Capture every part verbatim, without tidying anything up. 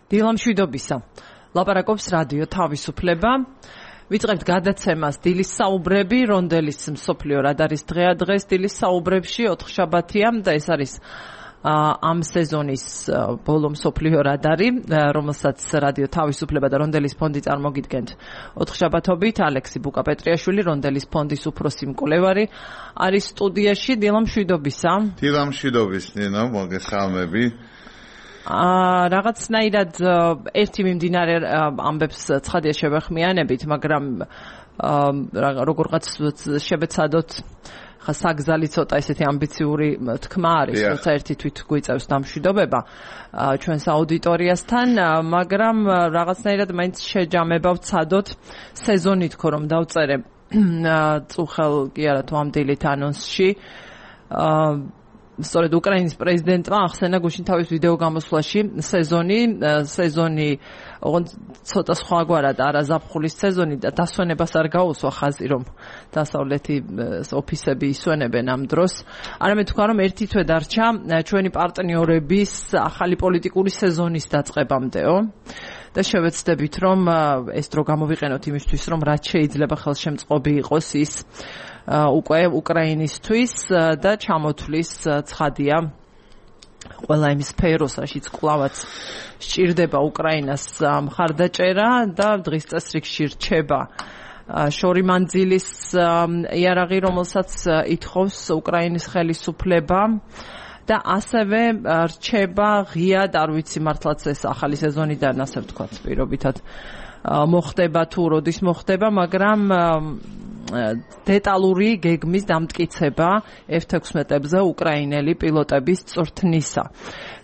დილა მშვიდობისა. ლაპარაკობს რადიო თავისუფლება. ვიწყებთ გადაცემას დილის საუბრები, რონდელის მსოფლიო რადარის დღეა დღეს დილის საუბრებში ოთხშაბათია და ეს არის ამ სეზონის ბოლო მსოფლიო რადარი, რომელსაც რადიო თავისუფლება და რონდელის ფონდი წარმოგიდგენთ ოთხშაბათობით. ალექსი ბუკაპეტრიაშვილი, რონდელის ფონდის უფროსი მკვლევარი, არის სტუდიაში. დილა მშვიდობისა. დილა მშვიდობის, ნინო, მოგესალმები. აა რაღაცნაირად ერთი მიმდინარე ამბებს ცხადია შევეხმიანებით, მაგრამ როგორღაც შევეცადოთ ხა საგზალი ცოტა ესეთი ამბიციური თქმა არის, როცა ერთი თვით გვიწევს დამშვიდობება ჩვენს აუდიტორიასთან, მაგრამ რაღაცნაირად მაინც შეჯამება ვცადოთ სეზონი თქო რომ დავწერე წუხელ კი არა თუ ამ დილით ანონსში. აა სწორედ უკრაინის პრეზიდენტმა ახსენა გუშინ თავის ვიდეო გამოსვლაში სეზონი, სეზონი ოღონდ ცოტა სხვაგვარად არაზაფხულის სეზონი და დასვენებას არ გაუსვა ხაზი, რომ დასავლეთი ოფისები ისვენებენ ამ დროს. არამედ თქვა, რომ ერთი თვე დარჩა ჩვენი პარტნიორების ახალი პოლიტიკური სეზონის დაწყებამდეო. და შევეცდებით, რომ ეს დრო გამოვიყენოთ იმისთვის, რომ რაც შეიძლება ხელშემწყობი იყოს ის უკვე უკრაინისთვის და ჩამოთვლის ცხადია ყველა იმ სფეროს, რაშიც კვლავაც სჭირდება უკრაინას მხარდაჭერა და დღის წესრიგში რჩება შორი მანძილის იარაღი, რომელსაც ითხოვს უკრაინის ხელისუფლება და ასევე რჩება ღიად, არ ვიცი მართლაც ეს ახალი სეზონიდან ასე ვთქვათ, პირობითად მოხდება თუ როდის მოხდება, მაგრამ დეტალური გეგმის დამტკიცება ეფ თექვსმეტებზე უკრაინელი პილოტების წვრთნისა.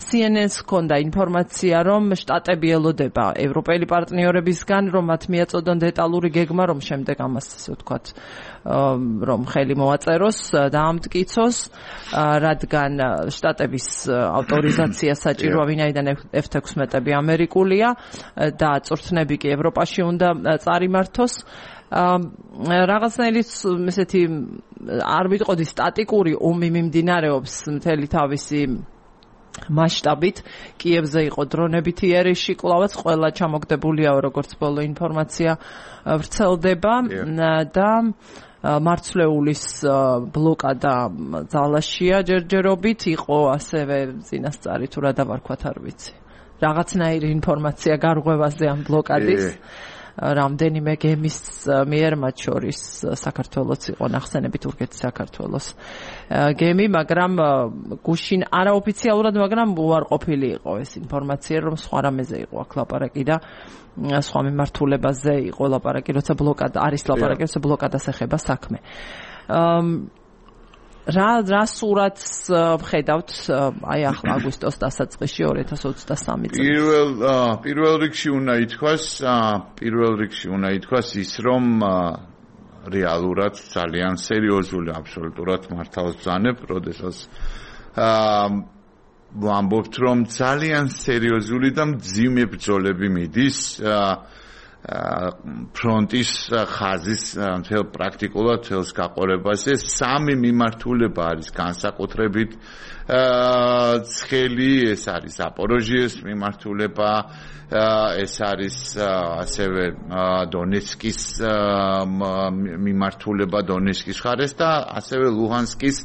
სი ენ ენ-ს ჰქონდა ინფორმაცია, რომ შტატები ელოდება ევროპელი პარტნიორებისგან, რომ მათ მიაწოდონ დეტალური გეგმა, რომ შემდეგ ამას ასე ვთქვათ, რომ ხელი მოაწეროს და ამტკიცოს, რადგან შტატების ავტორიზაცია საჭიროა, ვინაიდან ეფ თექვსმეტები ამერიკულია და წვრთნები კი ევროპაში უნდა წარიმართოს. რაღაცნაირად ესეთი არ ვიტყოდი სტატიკური ომი მიმდინარეობს მთელი თავისი მასშტაბით. კიევზე იყო დრონებითი იერიში, კვლავაც ყველა ჩამოგდებულია, როგორც ბოლო ინფორმაცია ვრცელდება და მარცვლეულის ბლოკადა ძალაშია ჯერჯერობით, იყო ასევე წინასწარი თუ რა დავარქვათ არ ვიცი. რაღაცნაირი ინფორმაცია გარღვევაზე ამ ბლოკადის. რამდენიმე გემის მიერ, მათ შორის საქართველოს იყო ნახსენები, თურქეთის საქართველოს გემი, მაგრამ გუშინ არაოფიციალურად, მაგრამ უარყოფილი იყო ეს ინფორმაცია, რომ სხვა რამეზე იყო აქ ლაპარაკი და სხვა მიმართულებაზე იყო ლაპარაკი, როცა ბლოკადა არის ლაპარაკი, როცა ბლოკადას ეხება საქმე. რა რა სურათს ვხედავთ აი ახლა აგვისტოს დასაწყისში ორი ათას ოცდასამი წელს? პირველ პირველ რიგში უნდა ითქვას, პირველ რიგში უნდა ითქვას ის, რომ რეალურად ძალიან სერიოზული, აბსოლუტურად მართავს ბრძანებ, როდესაც ვამბობთ, რომ ძალიან სერიოზული და მძიმე ბრძოლები მიდის ფრონტის ხაზის მთელ პრაქტიკულად მთელს გაყორებაზე. სამი მიმართულება არის განსაკუთრებით ცხელი, ეს არის ზაპოროჟიეს მიმართულება, ეს არის ასევე დონეცკის მიმართულება დონეცკის მხარეს და ასევე ლუჰანსკის,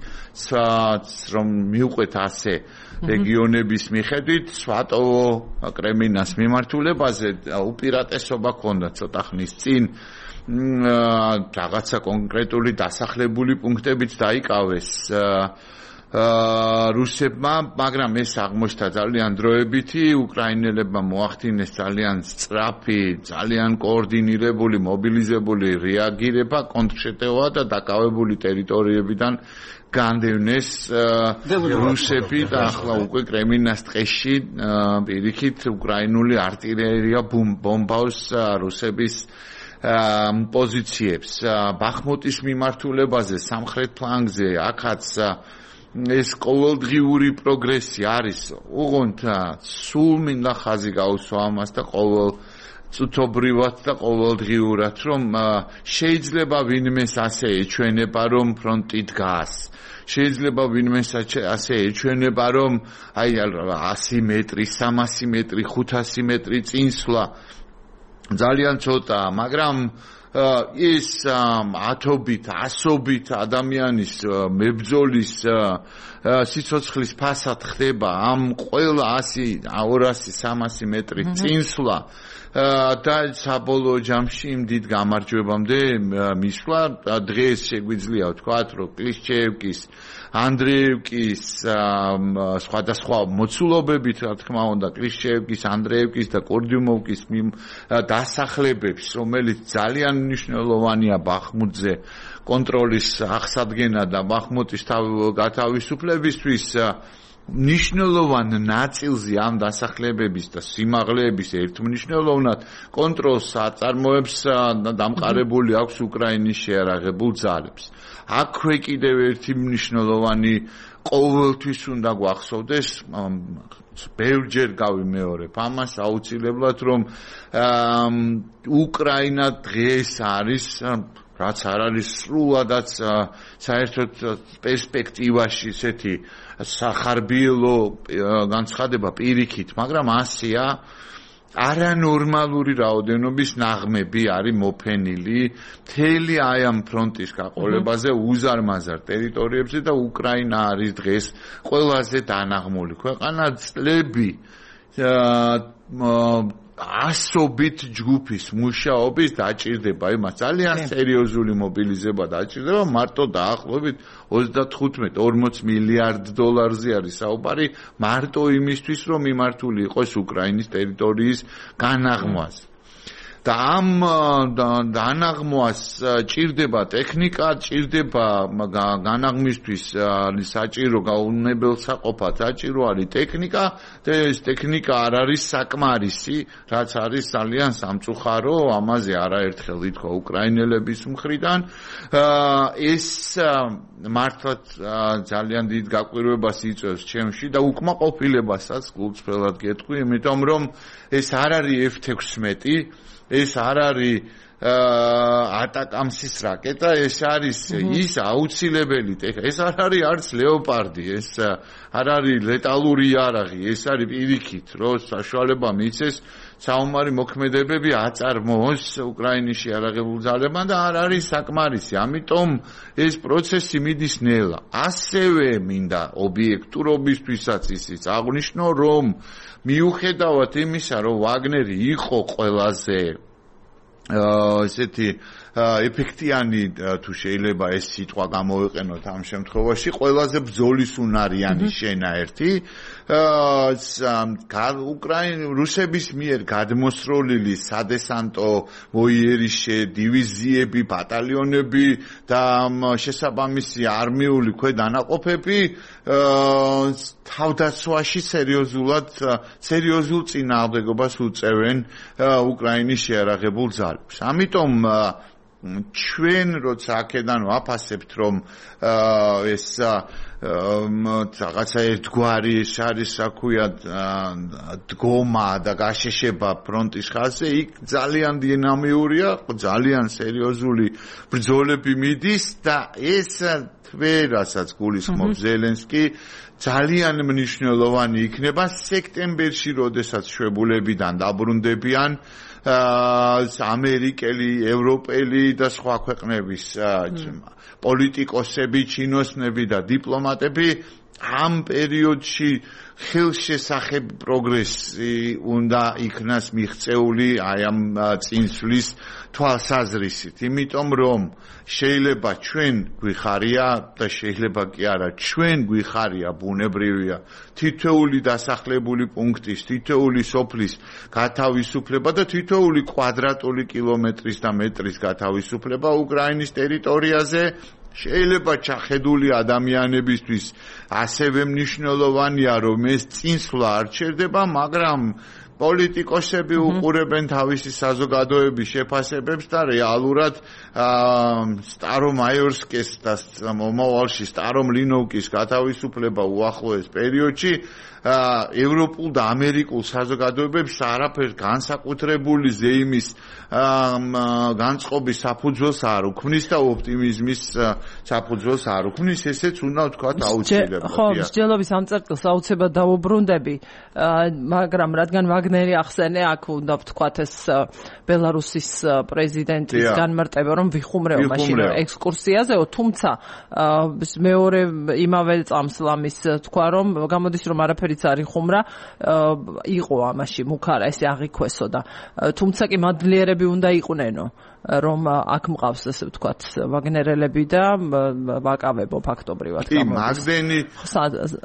რომ მიუყვეთ ასე რეგიონების მიხედვით სვატოვო კრემინას მიმართულებაზე უპირატესობა ჰქონდა ცოტა ხნის წინ რაღაცა კონკრეტული დასახლებული პუნქტებიც დაიკავეს რუსებმა, მაგრამ ეს აღმოჩნდა ძალიან დროებითი. უკრაინელებმა მოახდინეს ძალიან სწრაფი, ძალიან კოორდინირებული, მობილიზებული რეაგირება, კონტრშეტევა და დაკავებული ტერიტორიებიდან განდევნეს რუსები და ახლა უკვე კრემინას ტყეში პირიქით უკრაინული артиლერია ბომბავს რუსების პოზიციებს. ბახმუტის მიმართულებაზე, სამხრეთ ფლანგზე, აქაც ეს ყოველდღიური პროგრესი არის, უღონთ სულ მინდა ხაზი გაუსვა ამას და ყოველ წუთობრივად და ყოველდღიურად, რომ შეიძლება ვინმეს ასე ეჩვენება, რომ ფრონტი დგას. შეიძლება ვინმეს ასე ეჩვენება, რომ აი ასი მეტრი, სამასი მეტრი, ხუთასი მეტრი წინსვლა ძალიან ცოტაა, მაგრამ ის ათობით, ასობით ადამიანის მებრძოლის სიცოცხლის ფასად ხდება ამ ყველა ასი, ორასი, სამასი მეტრი წინსვლა და საბოლოო ჯამში იმ დიდ გამარჯვებამდე მისვლა. დღეს შეგვიძლია ვთქვათ, რომ კლიშჩეევკის, ანდრეევკის სხვადასხვა მოცულობებით, რა თქმა უნდა, კლიშჩეევკის, ანდრეევკის და კორდიუმოვკის დასახლებებს, რომელიც ძალიან მნიშვნელოვანია ბახმუტზე კონტროლის აღსადგენა და ბახმუტის გათავისუფლებისთვის, მნიშვნელოვან ნაწილზე ამ დასახლებების და სიმაღლეების ერთმნიშვნელოვნად კონტროლს აწარმოებს და დამყარებული აქვს უკრაინის შეიარაღებულ ძალებს. აქვე კიდევ ერთი მნიშვნელოვანი ყოველთვის უნდა გვახსოვდეს, ბევრჯერ გავიმეორებ ამას აუცილებლად, რომ უკრაინა დღეს არის რაც არ არის სრულადაც საერთოდ პერსპექტივაში ესეთი სახარბიელო განცხადება პირიქით, მაგრამ ასეა არანორმალური რაოდენობის ნაღმები არის მოფენილი მთელი აი ამ ფრონტის გაყოლებაზე უზარმაზარ ტერიტორიებზე და უკრაინა არის დღეს ყველაზე დანაღმული ქვეყანა. წლები ასობით ჯგუფის მუშაობის დაჭირდება, იმას ძალიან სერიოზული მობილიზება დაჭირდება, მარტო დაახლოებით ოცდათხუთმეტ ორმოც მილიარდ დოლარზე არის საუბარი, მარტო იმისთვის, რომ მიმართული იყოს უკრაინის ტერიტორიის განაღმვაზე. და ამ დანაღმვას ჭირდება ტექნიკა, ჭირდება განაღმვისთვის საჭირო გაუნებელსაყოფად საჭირო არის ტექნიკა და ეს ტექნიკა არ არის საკმარისი, რაც არის ძალიან სამწუხარო, ამაზე არაერთხელ ითქვა უკრაინელების მხრიდან. ეს მართლაც ძალიან დიდ გაკვირვებას იწვევს ჩემში და უკმაყოფილებასაც გულწრფელად გეტყვი, იმიტომ რომ ეს არ არის ეფ ექვსმეტი, ეს არ არის ატაკამსის რაკეტა, ეს არის ის აუცილებელი ტექნიკა, ეს არ არის არც ლეოპარდი, ეს არ არის ლეტალური იარაღი, ეს არის პირიქით, რომ საშუალება მიცეს საომარი მოქმედებები აწარმოოს უკრაინის შეიარაღებულ ძალებმა და არ არის საკმარისი. ამიტომ ეს პროცესი მიდის ნელა. ასევე მინდა ობიექტურობისთვისაც ისიც აღვნიშნო, რომ მიუხედავად იმისა, რომ ვაგნერი იყო ყველაზე ესეთი ეფექტიანი თუ შეიძლება ეს სიტყვა გამოვიყენოთ ამ შემთხვევაში, ყველაზე ბრძოლის უნარიანი შენაერთი უკრაინ რუსების მიერ გადმოსროლილი სადესანტო მოიერიშე დივიზიები, ბატალიონები და შესაბამისი არმიული ქვედანაყოფები თავდაცვაში სერიოზულად სერიოზულ წინააღმდეგობას უწევენ უკრაინის შეიარაღებულ ძალებს. ამიტომ ჩვენ როცა აქედან ვაფასებთ, რომ ეს რაღაცა ერთგვარი ეს არის, რა ქვია, დგომა და გაშეშება ფრონტის ხაზზე, იქ ძალიან დინამიურია, ძალიან სერიოზული ბრძოლები მიდის და ეს თვე, რასაც გულისხმობს ზელენსკი, ძალიან მნიშვნელოვანი იქნება სექტემბერში, როდესაც შვებულებიდან დაბრუნდებიან ამერიკელი, ევროპელი და სხვა ქვეყნების პოლიტიკოსები, ჩინოსნები და დიპლომატები. ამ პერიოდში ხელშესახებ პროგრესი უნდა იქნას მიღწეული აი ამ წინსვლის თვალსაზრისით, იმიტომ რომ შეიძლება ჩვენ გვიხარია და შეიძლება კი არა, ჩვენ გვიხარია, ბუნებრივია თითოეული დასახლებული პუნქტის, თითოეული სოფლის გათავისუფლება და თითოეული კვადრატული კილომეტრის და მეტრის გათავისუფლება უკრაინის ტერიტორიაზე. შეიძლება ჩახედული ადამიანებისთვის ასევე მნიშვნელოვანია, რომ ეს წინსვლა არ ჩერდება, მაგრამ პოლიტიკოსები უყურებენ თავისი საზოგადოების შეფასებებს და რეალურად სტარომაიორსკის და მომავალში სტარომლინოვკის გათავისუფლება უახლოეს პერიოდში ევროპულ და ამერიკულ საზოგადოებებს არაფერს განსაკუთრებული ზეიმის განწყობის საფუძველს არ უქმნის და ოპტიმიზმის საფუძველს არ უქმნის, ესეც უნდა ვთქვათ აუცილებლად. ხო, მსჯელობის ამ წერტილს აუცილებლად დავუბრუნდები, მაგრამ რადგან ვაგნერი ახსენე, აქ უნდა ვთქვათ ეს ბელარუსის პრეზიდენტის განმარტება, რომ ვიხუმრეო მაშინ ექსკურსიაზეო, თუმცა მეორე იმავე წამს ლამის თქვა, რომ გამოდის რომ არაფერიც არ იხუმრა, იყო ამაში მუქარა, ესე აღიქვესო და თუმცა კი მადლიერები უნდა იყვნენო, რომ აქ მყავს ესე ვთქვათ ვაგნერელები და ვაკავებო ფაქტობრივად გამოდის. კი, მაგდენი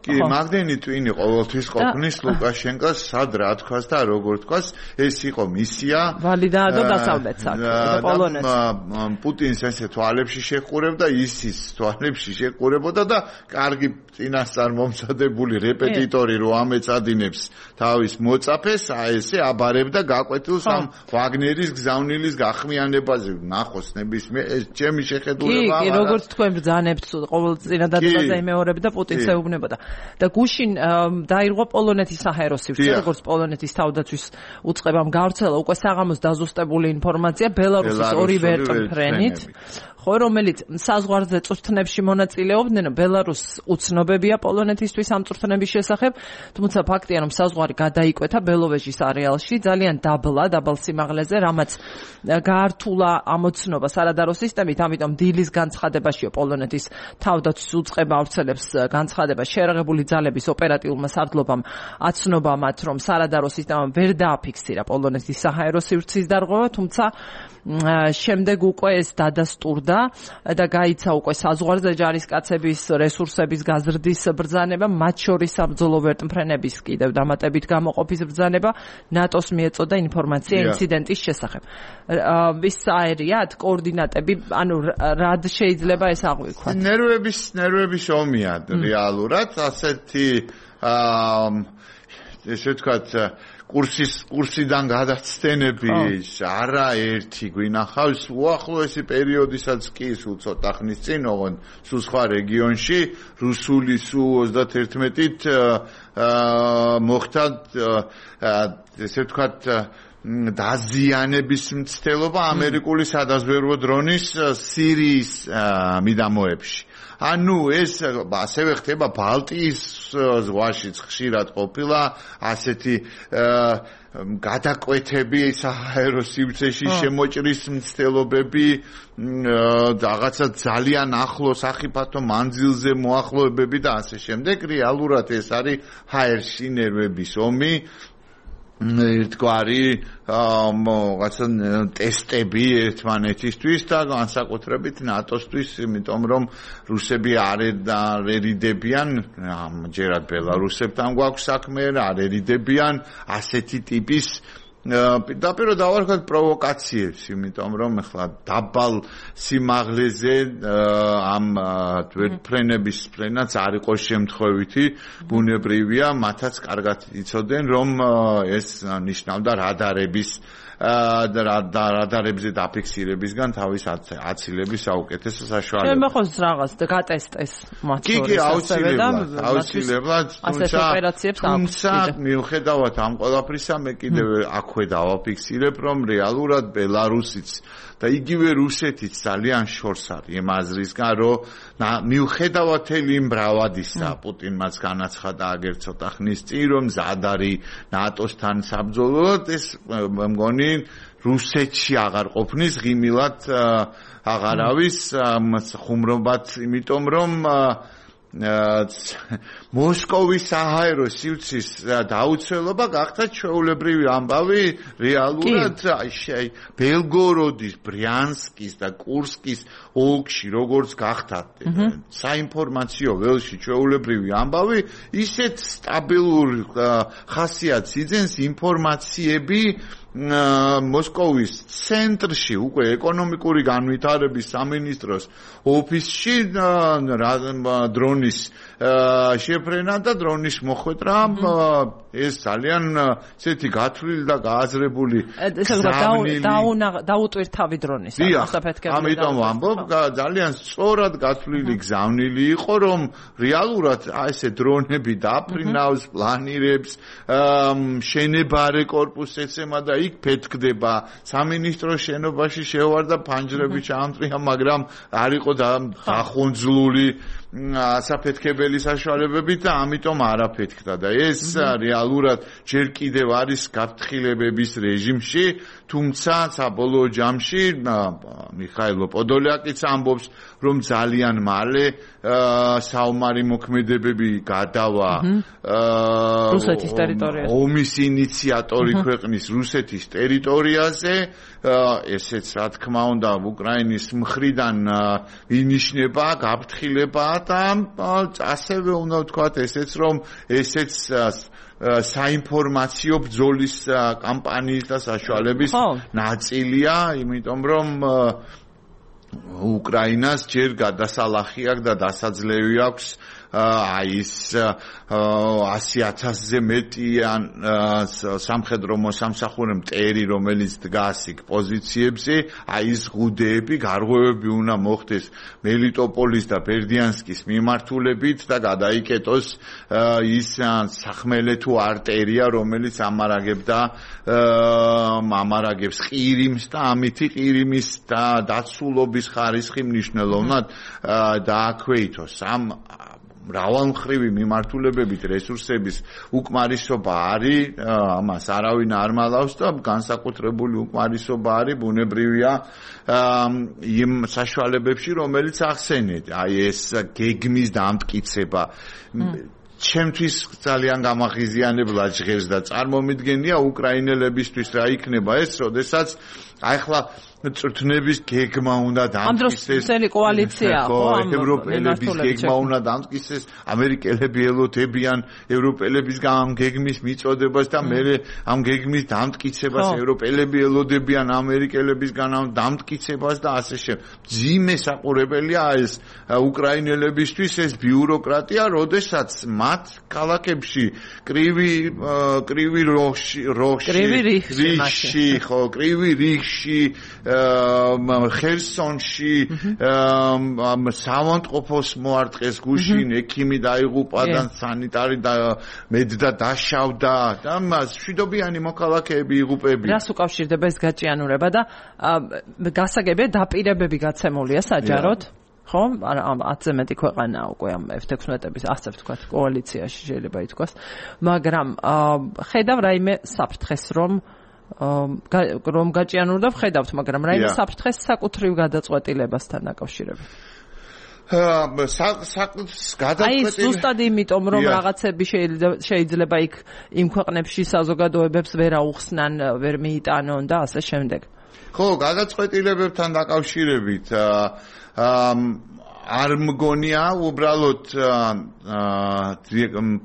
კი, მაგდენი ტვინი ყოველთვის ყოფნის ლუკაშენკოს სად რა თქვას და როგორ თქვას, ეს იყო მისია ვალიდადო დასავლეთს აქ და პოლონეთს. პუტინს ესე თვალებში შეყურებდა, ისის თვალებში შეყურებოდა და კარგი წინასწარ მომზადებული რეპეტიტორი რო ამეწადინებს თავის მოწაფეს, აი ესე აბარებდა გაკვეთილს ამ ვაგნერის გზავნილის გახმიანებაზე, ნახოს ნებისმიერ ეს ჩემი შეხედულება. კი, როგორც თქვენ ბრძანებთ ყოველ წინადადებაზე იმეორებდა პუტინს ეუბნებოდა. და გუშინ დაირღვა პოლონეთის საჰაერო სივრცე, როგორც polonეთის თავდაცვის უწყებამ გავრცელა უკვე საღამოს დაზუსტებული ინფორმაცია ბელარუსის ორივე ფრენით. ხო, რომელიც საზღვარზე წვრთნებში მონაწილეობდნენ, ბელარუსს უცნობებია პოლონეთისთვის ამ წვრთნების შესახებ, თუმცა ფაქტია, რომ საზღვარი გადაიკვეთა ბელოვეჟის არეალში ძალიან დაბლა, დაბალ სიმაღლეზე, რამაც გაართულა ამოცნობა სარადარო სისტემით, ამიტომ დილის განცხადებაშიო პოლონეთის თავდაცვის უწყება ავრცელებს განცხადებას შეერაღებული ძალების ოპერატიულმა სარდლობამ აცნობა მათ, რომ სარადარო სისტემამ ვერ დააფიქსირა პოლონეთის საჰაერო სივრცის დარღვევა, თუმცა შემდეგ უკვე ეს დადასტურდა და გაიცა უკვე საზღვარზე ჯარისკაცების რესურსების გაზრდის ბრძანება, მათ შორის საბრძოლო ვერტმფრენების კიდევ დამატებით გამოყოფის ბრძანება, ნატოს მიეწოდა ინფორმაცია ინციდენტის შესახებ. ვის აერიათ კოორდინატები, ანუ რად შეიძლება ეს აღვიქვათ? ნერვების ნერვების ომია რეალურად, ასეთი ესე ვთქვათ კურსის კურსიდან გადაცდენები არაერთი გვინახავს უახლოესი პერიოდისაც კი სულ ცოტა ხნის წინ ოღონდ სულ სხვა რეგიონში რუსული სუ ოცდაათით მოხდა ესე ვთქვათ დაზიანების მცდელობა ამერიკული სადაზვერვო დრონის სირიის მიდამოებში. ანუ ეს ასევე ხდება ბალტიის ზღვაშიც ხშირად ყოფილა ასეთი გადაკვეთები საჰაერო სივრცეში შემოჭრის მცდელობები, რაღაცა ძალიან ახლოს სახიფათო მანძილზე მოახლოებები და ასე შემდეგ. რეალურად ეს არის ჰაერში ნერვების ომი. ერთგვარი რაღაცა ტესტები ერთმანეთისთვის და განსაკუთრებით ნატოსთვის, იმიტომ რომ რუსები არ ერიდებიან, ამჯერად ბელარუსებთან გვაქვს საქმე, არ ერიდებიან ასეთი ტიპის პირდაპირ დავარქვათ პროვოკაციებს, იმიტომ რომ ახლა დაბალ სიმაღლეზე ამ ვერტმფრენების ფრენაც არ იყოს შემთხვევითი, ბუნებრივია, მათაც კარგად იცოდნენ, რომ ეს ნიშნავდა რადარების და რადარებზე დაფიქსირებისგან თავის აცილების საუკეთესო საშუალება. მე მოხოს რაღაც გატესტეს მათ შორის. კი, კი, აუცილებლად, აუცილებლად, თუმცა მიუხედავად ამ ყველაფრისა, მე კიდევ აქვე დავაფიქსირებ, რომ რეალურად ბელარუსიც და იგივე რუსეთიც ძალიან შორს არის იმ აზრისგან, რომ მიუხედავად იმ ბრავადისა, პუტინმაც განაცხადა აგერ ცოტა ხნის წინ, რომ მზად არის ნატოსთან საბრძოლოდ, ეს მგონი რუსეთში აღარ ყოფნის ღიმილად აღარ არის ხუმრობად, იმიტომ რომ მოსკოვის საჰაერო სივრცის დაუცველობა გახდა ჩვეულებრივი ამბავი რეალურად ბელგოროდის, ბრიანსკის და კურსკის ოლქში როგორც გახდა საინფორმაციო ველში ჩვეულებრივი ამბავი, ისეთ სტაბილურ ხასიათს იძენს ინფორმაციები მოსკოვის ცენტრში უკვე ეკონომიკური განვითარების სამინისტროს ოფისში დრონის შეფრენა და დრონის მოხვედრა ეს ძალიან ესეთი გათვლილი და გააზრებული დაუტვირთავი დრონის ამიტომ ამბობ ძალიან სწორად გათვლილი გზავნილი იყო რომ რეალურად ესე დრონები დაფრინავს პლანირებს შენებარე კორპუსს ეცემა და იქ ფეთქდება სამინისტროს შენობაში შევარდა ფანჯრები ჩაამწრია მაგრამ არ იყო დახონძლული საფეთქებელი საშუალებებით და ამიტომ არაფეთქდა და ეს რეალურად ჯერ კიდევ არის გაფრთხილებების რეჟიმში თუმცა საბოლოო ჯამში მიხაილ პოდოლიაკიც ამბობს რომ ძალიან მალე საომარი მოქმედებები გადავა რუსეთის ტერიტორიაზე ომის ინიციატორი ქვეყნის რუსეთის ტერიტორიაზე ესეც რა თქმა უნდა უკრაინის მხრიდან ინიშნება გაფრთხილება და ასევე უნდა ვთქვათ ესეც რომ ესეც საინფორმაციო ბრძოლის კამპანიის და საშუალების ნაწილია იმიტომ რომ უკრაინას ჯერ გადასალახი აქვს და დასაძლევი აქვს აი ეს ასი ათასზე მეტი სამხედრო მოსამსახურე მტერი რომელიც დგას იქ პოზიციებზე აი ეს ღუდეები გარღვევები უნდა მოხდეს მელიტოპოლის და ბერდიანსკის მიმართულებით და გადაიკეტოს ის სახმელეთო არტერია რომელიც ამარაგებდა ამარაგებს ყირიმს და ამითი ყირიმის და დაცულობის ხარისხი მნიშვნელოვნად დააქვეითოს ამ მრავალმხრივი მიმართულებებით რესურსების უკმარისობა არის ამას არავინ არ მალავს და განსაკუთრებული უკმარისობა არის ბუნებრივია იმ საშუალებებში რომელიც ახსენეთ აი ეს გეგმის დამტკიცება ჩემთვის ძალიან გამახიზიანებლად ჟღერს და წარმომიდგენია უკრაინელებისთვის რა იქნება ეს როდესაც აი ახლა წრთნების გეგმა უნდა დამტკიცდეს ამ დროს კოალიცია ხო ევროპელების გეგმა უნდა დამტკიცდეს ამერიკელები ელოდებიან ევროპელების ამ გეგმის მიწოდებას და მე ამ გეგმის დამტკიცებას ევროპელები ელოდებიან ამერიკელებისგან ამ დამტკიცებას და ასე შემდეგ ძიმე საყურებელია ეს უკრაინელებისთვის ეს ბიუროკრატია როდესაც მათ ქალაქებში კრივი კრივი როხში რიში ხო კრივი რიში ხერსონში სამონტყოფოს მოარტყეს გუშინ ექიმი დაიღუპა და სანიტარი და მედდა დაშავდა და მშვიდობიანი მოქალაქეები იღუპებიან რას უკავშირდება ეს გაჭიანურება და გასაგებია დაპირებები გაცემულია საჯაროდ ხო ამ ათზე მეტი ქვეყანაა უკვე ამ ეფ ექვსმეტების ასე ვთქვათ კოალიციაში შეიძლება ითქვას მაგრამ ხედავ რაიმე საფრთხეს რომ რომ გაჭიანურდა ვხედავთ, მაგრამ რაიმე საფრთხეს საკუთრივ გადაწყვეტილებასთან დაკავშირებით. აი ზუსტად იმიტომ რომ რაღაცები შეიძლება იქ იმ ქვეყნებში საზოგადოებებს ვერ აუხსნან, ვერ მიიტანონ და ასე შემდეგ. ხო, გადაწყვეტილებებთან დაკავშირებით არ მგონია უბრალოდ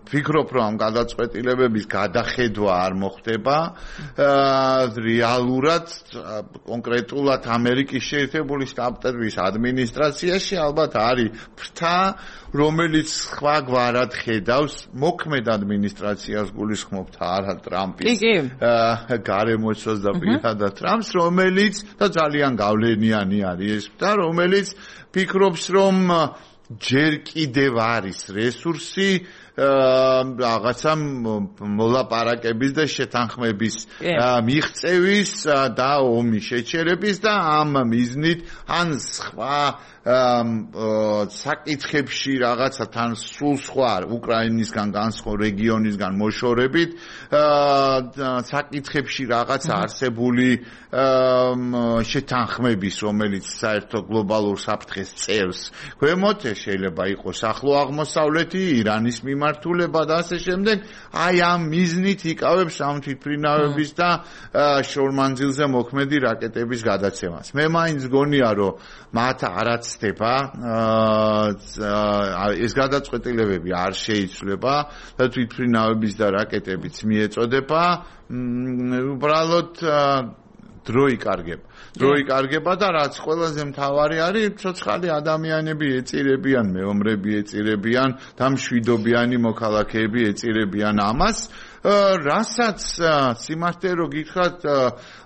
ფიქრობ რომ გადაწყვეტილებების გადახედვა არ მოხდება რეალურად კონკრეტულად ამერიკის შეერთებული შტატების ადმინისტრაციაში ალბათ არის ფრთა რომელიც სხვა გვარად ხედავს მოქმედ ადმინისტრაციას გულისხმობთ არა ტრამპის გარემოცვას და პირადად ტრამპს რომელიც და ძალიან გავლენიანი არის ეს და რომელიც ფიქრობს რომ ჯერ კიდევ არის რესურსი რაღაცა მოლაპარაკების და შეთანხმების მიღწევის და ომის შეჩერების და ამ მიზნით ან სხვა საკითხებში რაღაცა თან სულ სხვა უკრაინისგან განსხვავ რეგიონისგან მოშორებით საკითხებში რაღაცა არსებული შეთანხმების რომელიც საერთო გლობალურ საფრთხეს წევს ქვემოთ შეიძლება იყოს ახლო აღმოსავლეთი ირანის მიმართ მიმართულება და ასე შემდეგ, აი ამ მიზნით იკავებს ამ თვითმფრინავების და შორმანძილზე მოქმედი რაკეტების გადაცემას. მე მაინც გონია, რომ მათ არაცდება ეს გადაწყვეტილებები არ შეიცვლება და თვითმფრინავების და რაკეტებიც მიეწოდება, უბრალოდ დრო იკარგება. დრო იკარგება და რაც ყველაზე მთავარი არის, ცოცხალი ადამიანები ეწირებიან, მეომრები ეწირებიან და მშვიდობიანი მოქალაქეები ეწირებიან ამას. რასაც სიმართლე რო გითხრათ,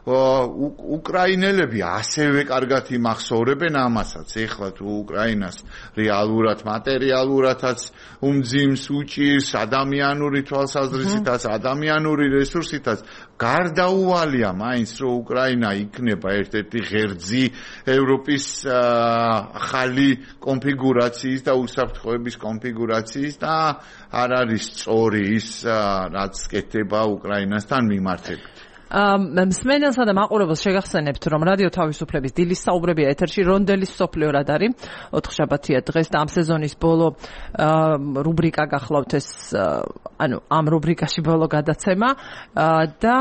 უკრაინელები ასევე კარგად იმახსოვრებენ ამასაც. ეხლა თუ უკრაინას რეალურად, მატერიალურადაც უმძიმს, უჭირს, ადამიანური თვალსაზრისითაც, ადამიანური რესურსითაც, გარდაუვალია მაინც, რომ უკრაინა იქნება ერთ-ერთი ღერძი ევროპის ახალი კონფიგურაციის და უსაფრთხოების კონფიგურაციის და არ არის სწორი ის, რაც კეთდება უკრაინასთან მიმართებით. მსმენელსა და მაყურებელს შეგახსენებთ, რომ რადიო თავისუფლების დილის საუბრებია ეთერში რონდელის სოფლიო რადარი ოთხშაბათია დღეს და ამ სეზონის ბოლო რუბრიკა გახლავთ ეს ანუ ამ რუბრიკაში ბოლო გადაცემა და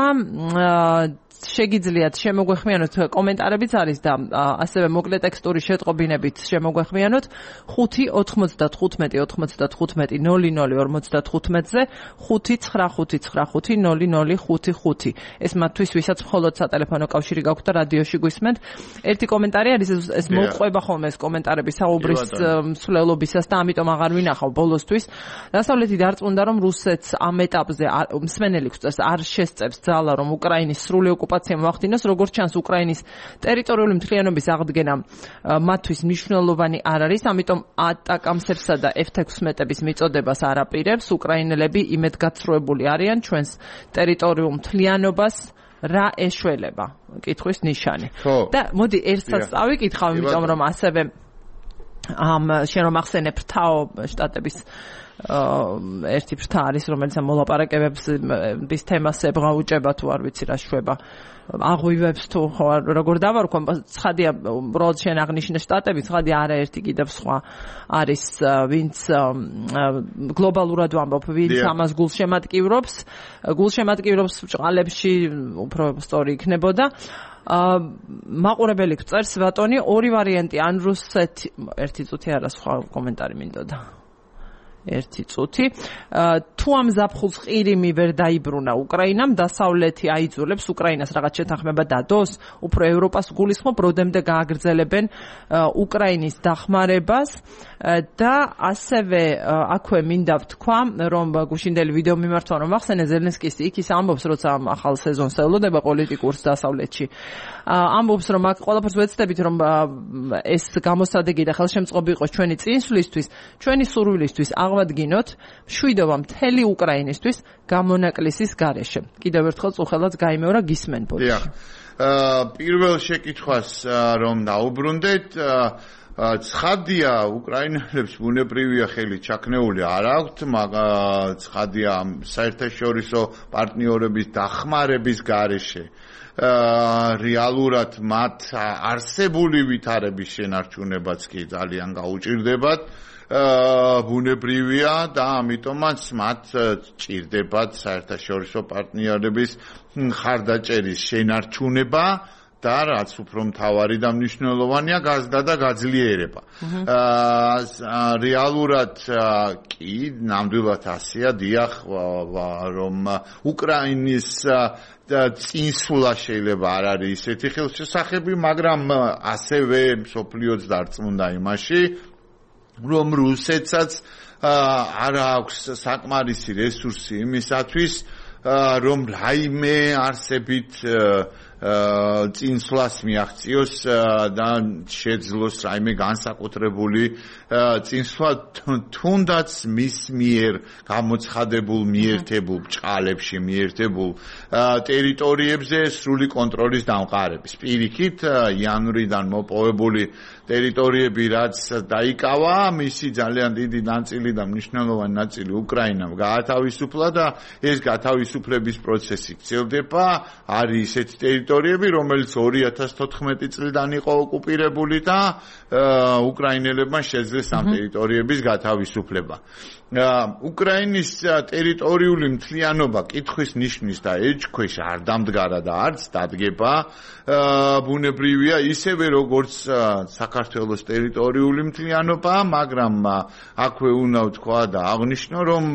შეგიძლიათ შემოგვეხმიანოთ კომენტარებიც არის და ასევე მოკლე ტექსტური შეტყობინებით შემოგვეხმიანოთ ხუთი ოთხმოცდათხუთმეტი ოთხმოცდათხუთმეტი ნოლი ნოლი ორმოცდათხუთმეტზე ხუთი ცხრა ხუთი ცხრა ხუთი ნოლი ნოლი ხუთი ხუთი ეს მათთვის ვისაც მხოლოდ სატელეფონო კავშირი გაქვთ და რადიოში გვისმენთ. ერთი კომენტარი არის ეს მოყვება ხოლმე ეს კომენტარები საუბრის მსვლელობისას და ამიტომ აღარ ვინახავ ბოლოსთვის. დასავლეთი დარწმუნდა რომ რუსეთს ამ ეტაპზე მსმენელი გვწევს არ შესწევს ძალა რომ უკრაინის სრული ოკუპაცია მოახდინოს, როგორც ჩანს უკრაინის ტერიტორიული მთლიანობის აღდგენა მათთვის მნიშვნელოვანი არ არის, ამიტომ ატაკამსებსა და ეფ ექვსმეტების მიწოდებას არ აპირებს. უკრაინელები იმედგაცრუებული არიან ჩვენს ტერიტორიულ მთლიანობას რა ეშველება? კითხვის ნიშანი. და მოდი ერთსაც წავიკითხავ, იმიტომ რომ ასევე ამ შენ რომ ახსენებ ფრთაო შტატების ერთი ფრთა არის, რომელიც მოლაპარაკებებს ის თემას ებღაუჭება თუ არ ვიცი რა შვება აღვივებს თუ როგორ დავარქვა. ცხადია, უბრალოდ შენ აღნიშნე შტატები, ცხადია არაერთი კიდევ სხვა არის, ვინც გლობალურად ვამბობ, ვინც ამას გულშემატკივრობს, გულშემატკივრობს ბჭყალებში უფრო სწორი იქნებოდა. მაყურებელი გწერს ბატონი ორი ვარიანტი, ან რუსეთი ერთი წუთი არა სხვა კომენტარი მინდოდა. ერთი წუთი. თუ ამ ზაფხულს ყირიმი ვერ დაიბრუნა უკრაინამ, დასავლეთი აიძულებს უკრაინას რაღაც შეთანხმება დადოს, უფრო ევროპას გულისხმობ, როდემდე გააგრძელებენ უკრაინის დახმარებას და ასევე აქვე მინდა ვთქვა, რომ გუშინდელი ვიდეო მიმართვა რომ ახსენე ზელენსკის იქ ის ამბობს, როცა ახალ სეზონს ელოდება პოლიტიკურს დასავლეთში. ამბობს, რომ აქ ყველაფერს ვეცდებით, რომ ეს გამოსადეგი და ხელშემწყობი იყოს ჩვენი წინსვლისთვის, ჩვენი სურვილისთვის აღვადგინოთ მშვიდობა მთელი უკრაინისთვის გამონაკლისის გარეშე. კიდევ ერთხელ წუხელაც გაიმეორა გისმენ ბოდიში. პირველ შეკითხვას რომ დაუბრუნდეთ, ცხადია უკრაინელებს ბუნებრივია ხელი ჩაქნეული არ აქვთ, მაგრამ ცხადია საერთაშორისო პარტნიორების დახმარების გარეშე რეალურად მათ არსებული ვითარების შენარჩუნებაც კი ძალიან გაუჭირდებათ. ბუნებრივია და ამიტომაც მათ ჭირდებათ საერთაშორისო პარტნიორების მხარდაჭერის შენარჩუნება და რაც უფრო მთავარი და მნიშვნელოვანია გაზრდა და გაძლიერება. რეალურად კი ნამდვილად ასეა, დიახ, რომ უკრაინის წინსვლა შეიძლება არ არის ისეთი ხელშესახები, მაგრამ ასევე მსოფლიოც დარწმუნდა იმაში, რომ რუსეთსაც არ აქვს საკმარისი რესურსი იმისათვის, რომ რაიმე არსებით წინსვლას მიაღწიოს და შეძლოს რაიმე განსაკუთრებული წინსვლა თუნდაც მის მიერ გამოცხადებულ მიერთებულ ბჭყალებში მიერთებულ ტერიტორიებზე სრული კონტროლის დამყარების. პირიქით იანვრიდან მოპოვებული ტერიტორიები რაც დაიკავა, მისი ძალიან დიდი ნაწილი და მნიშვნელოვანი ნაწილი უკრაინამ გაათავისუფლა და ეს გათავისუფლების პროცესი გრძელდება. არის ესეთი ტერიტორია ტერიტორიები, რომელიც ორი ათას თოთხმეტი წლიდან იყო ოკუპირებული და უკრაინელებმა შეძლეს ამ ტერიტორიების გათავისუფლება. უკრაინის ტერიტორიული მთლიანობა კითხვის ნიშნის და ეჭქვეშ არ დამდგარა და არც დადგება. ბუნებრივია ისევე როგორც საქართველოს ტერიტორიული მთლიანობა, მაგრამ აქვე უნდა ვთქვა და აღვნიშნო, რომ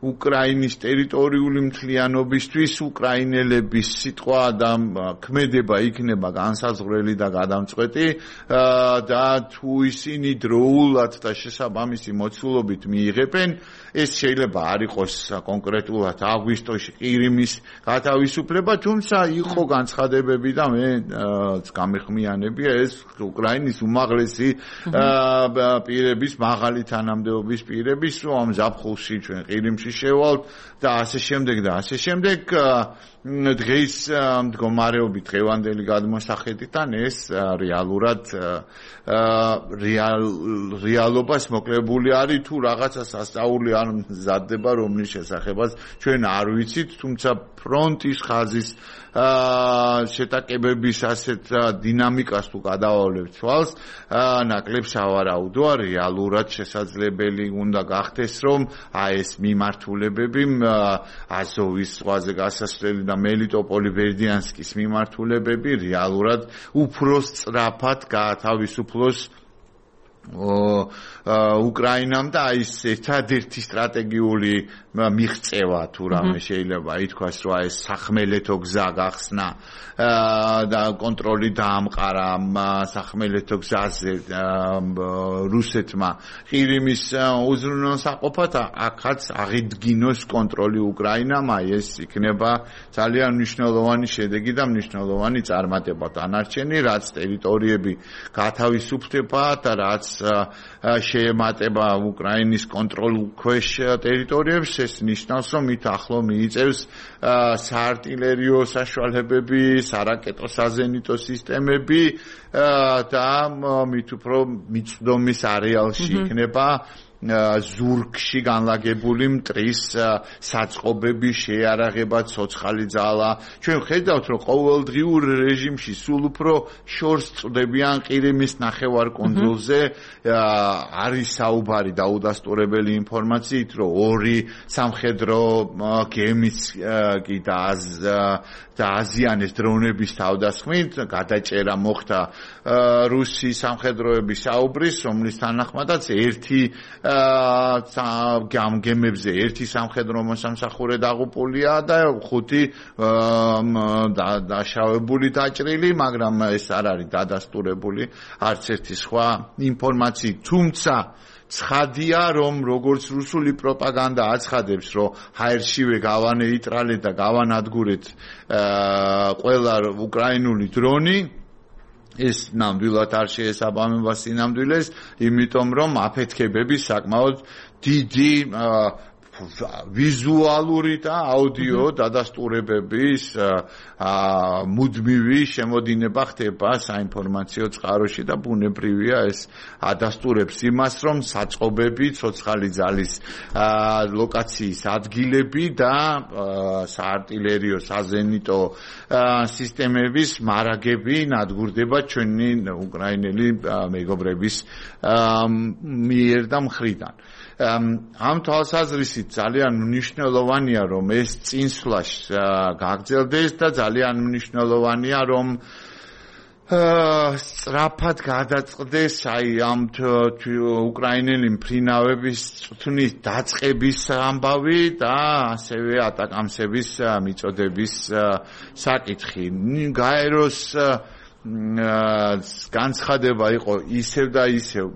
უკრაინის ტერიტორიული მთლიანობისთვის უკრაინელების სიტყვა და ქმედება იქნება განსაზღვრელი და გადამწყვეტი და თუ ისინი დროულად და შესაბამისი მოცულობით მიიღებენ, ეს შეიძლება არ იყოს კონკრეტულად აგვისტოში ყირიმის გათავისუფლება, თუმცა იყო განცხადებები და მე გამეხმიანებია ეს უკრაინის უმაღლესი პირების, მაღალი თანამდებობის პირების, რომ ამ ზაფხულში ჩვენ ყირიმში შევალთ და ასე შემდეგ და ასე შემდეგ. დღეს მდგომარეობით დღევანდელი გადმოსახედიდან ეს რეალურად რეალობას მოკლებული არის თუ რაღაცას ასწაული არ მზადდება რომლის შესახებაც ჩვენ არ ვიცით, თუმცა ფრონტის ხაზის შეტაკებების ასეთ დინამიკას თუ გადავავლებთ თვალს, ნაკლებ სავარაუდოა, რეალურად შესაძლებელი უნდა გახდეს, რომ აი ეს მიმართულებები აზოვის ზღვაზე გასასვლელი და მელიტოპოლი ბერდიანსკის მიმართულებები რეალურად უფრო სწრაფად გაათავისუფლოს უკრაინამ და აი ეს ერთადერთი სტრატეგიული მიღწევა თუ რამე შეიძლება ითქვას, რომ აი ეს სახმელეთო გზა გახსნა და კონტროლი დაამყარა სახმელეთო გზაზე რუსეთმა ყირიმის უზრუნველსაყოფად, აქაც აღიდგინოს კონტროლი უკრაინამ, აი ეს იქნება ძალიან მნიშვნელოვანი შედეგი და მნიშვნელოვანი წარმატება დანარჩენი, რაც ტერიტორიები გათავისუფლდება და რაც შეემატება უკრაინის კონტროლქვეშ ტერიტორიებს, ეს ნიშნავს, რომ მით ახლო მიიწევს საარტილერიო საშუალებები, სარაკეტო საზენიტო სისტემები და მით უფრო მიწვდომის არეალში იქნება ზურგში განლაგებული მტრის საწყობები, შეიარაღება, ცოცხალი ძალა. ჩვენ ხედავთ, რომ ყოველდღიურ რეჟიმში სულ უფრო შორს წვდებიან ყირიმის ნახევარკუნძულზე. არის საუბარი დაუდასტურებელი ინფორმაციით, რომ ორი სამხედრო გემის კი დააზიანეს დრონების თავდასხმით, გადაჭერა მოხდა რუსი სამხედროების საუბრის, რომლის თანახმადაც ერთი გემებზე ერთი სამხედრო მოსამსახურე დაღუპულია და ხუთი დაშავებული დაჭრილი, მაგრამ ეს არ არის დადასტურებული არც ერთი სხვა ინფორმაცია. თუმცა ცხადია, რომ როგორც რუსული პროპაგანდა აცხადებს, რომ ჰაერშივე გავანეიტრალეთ და გავანადგურეთ ყველა უკრაინული დრონი, ეს ნამდვილად არ შეესაბამება სინამდვილეს, იმიტომ რომ აფეთქებები საკმაოდ დიდი ვიზუალური და აუდიო დადასტურებების მუდმივი შემოდინება ხდება საინფორმაციო წყაროში და ბუნებრივია ეს ადასტურებს იმას, რომ საწყობები, ცოცხალი ძალის ლოკაციის ადგილები და საარტილერიო საზენიტო სისტემების მარაგები ნადგურდება ჩვენი უკრაინელი მეგობრების მიერ და მხრიდან. ამ თვალსაზრისით ძალიან მნიშვნელოვანია, რომ ეს წინსვლა გაგრძელდეს და ძალიან მნიშვნელოვანია, რომ სწრაფად გადაწყდეს აი ამ უკრაინელი მფრინავების წვნის დაწყების ამბავი და ასევე ატაკამსების მიწოდების საკითხი. გაეროს განცხადება იყო ისევ და ისევ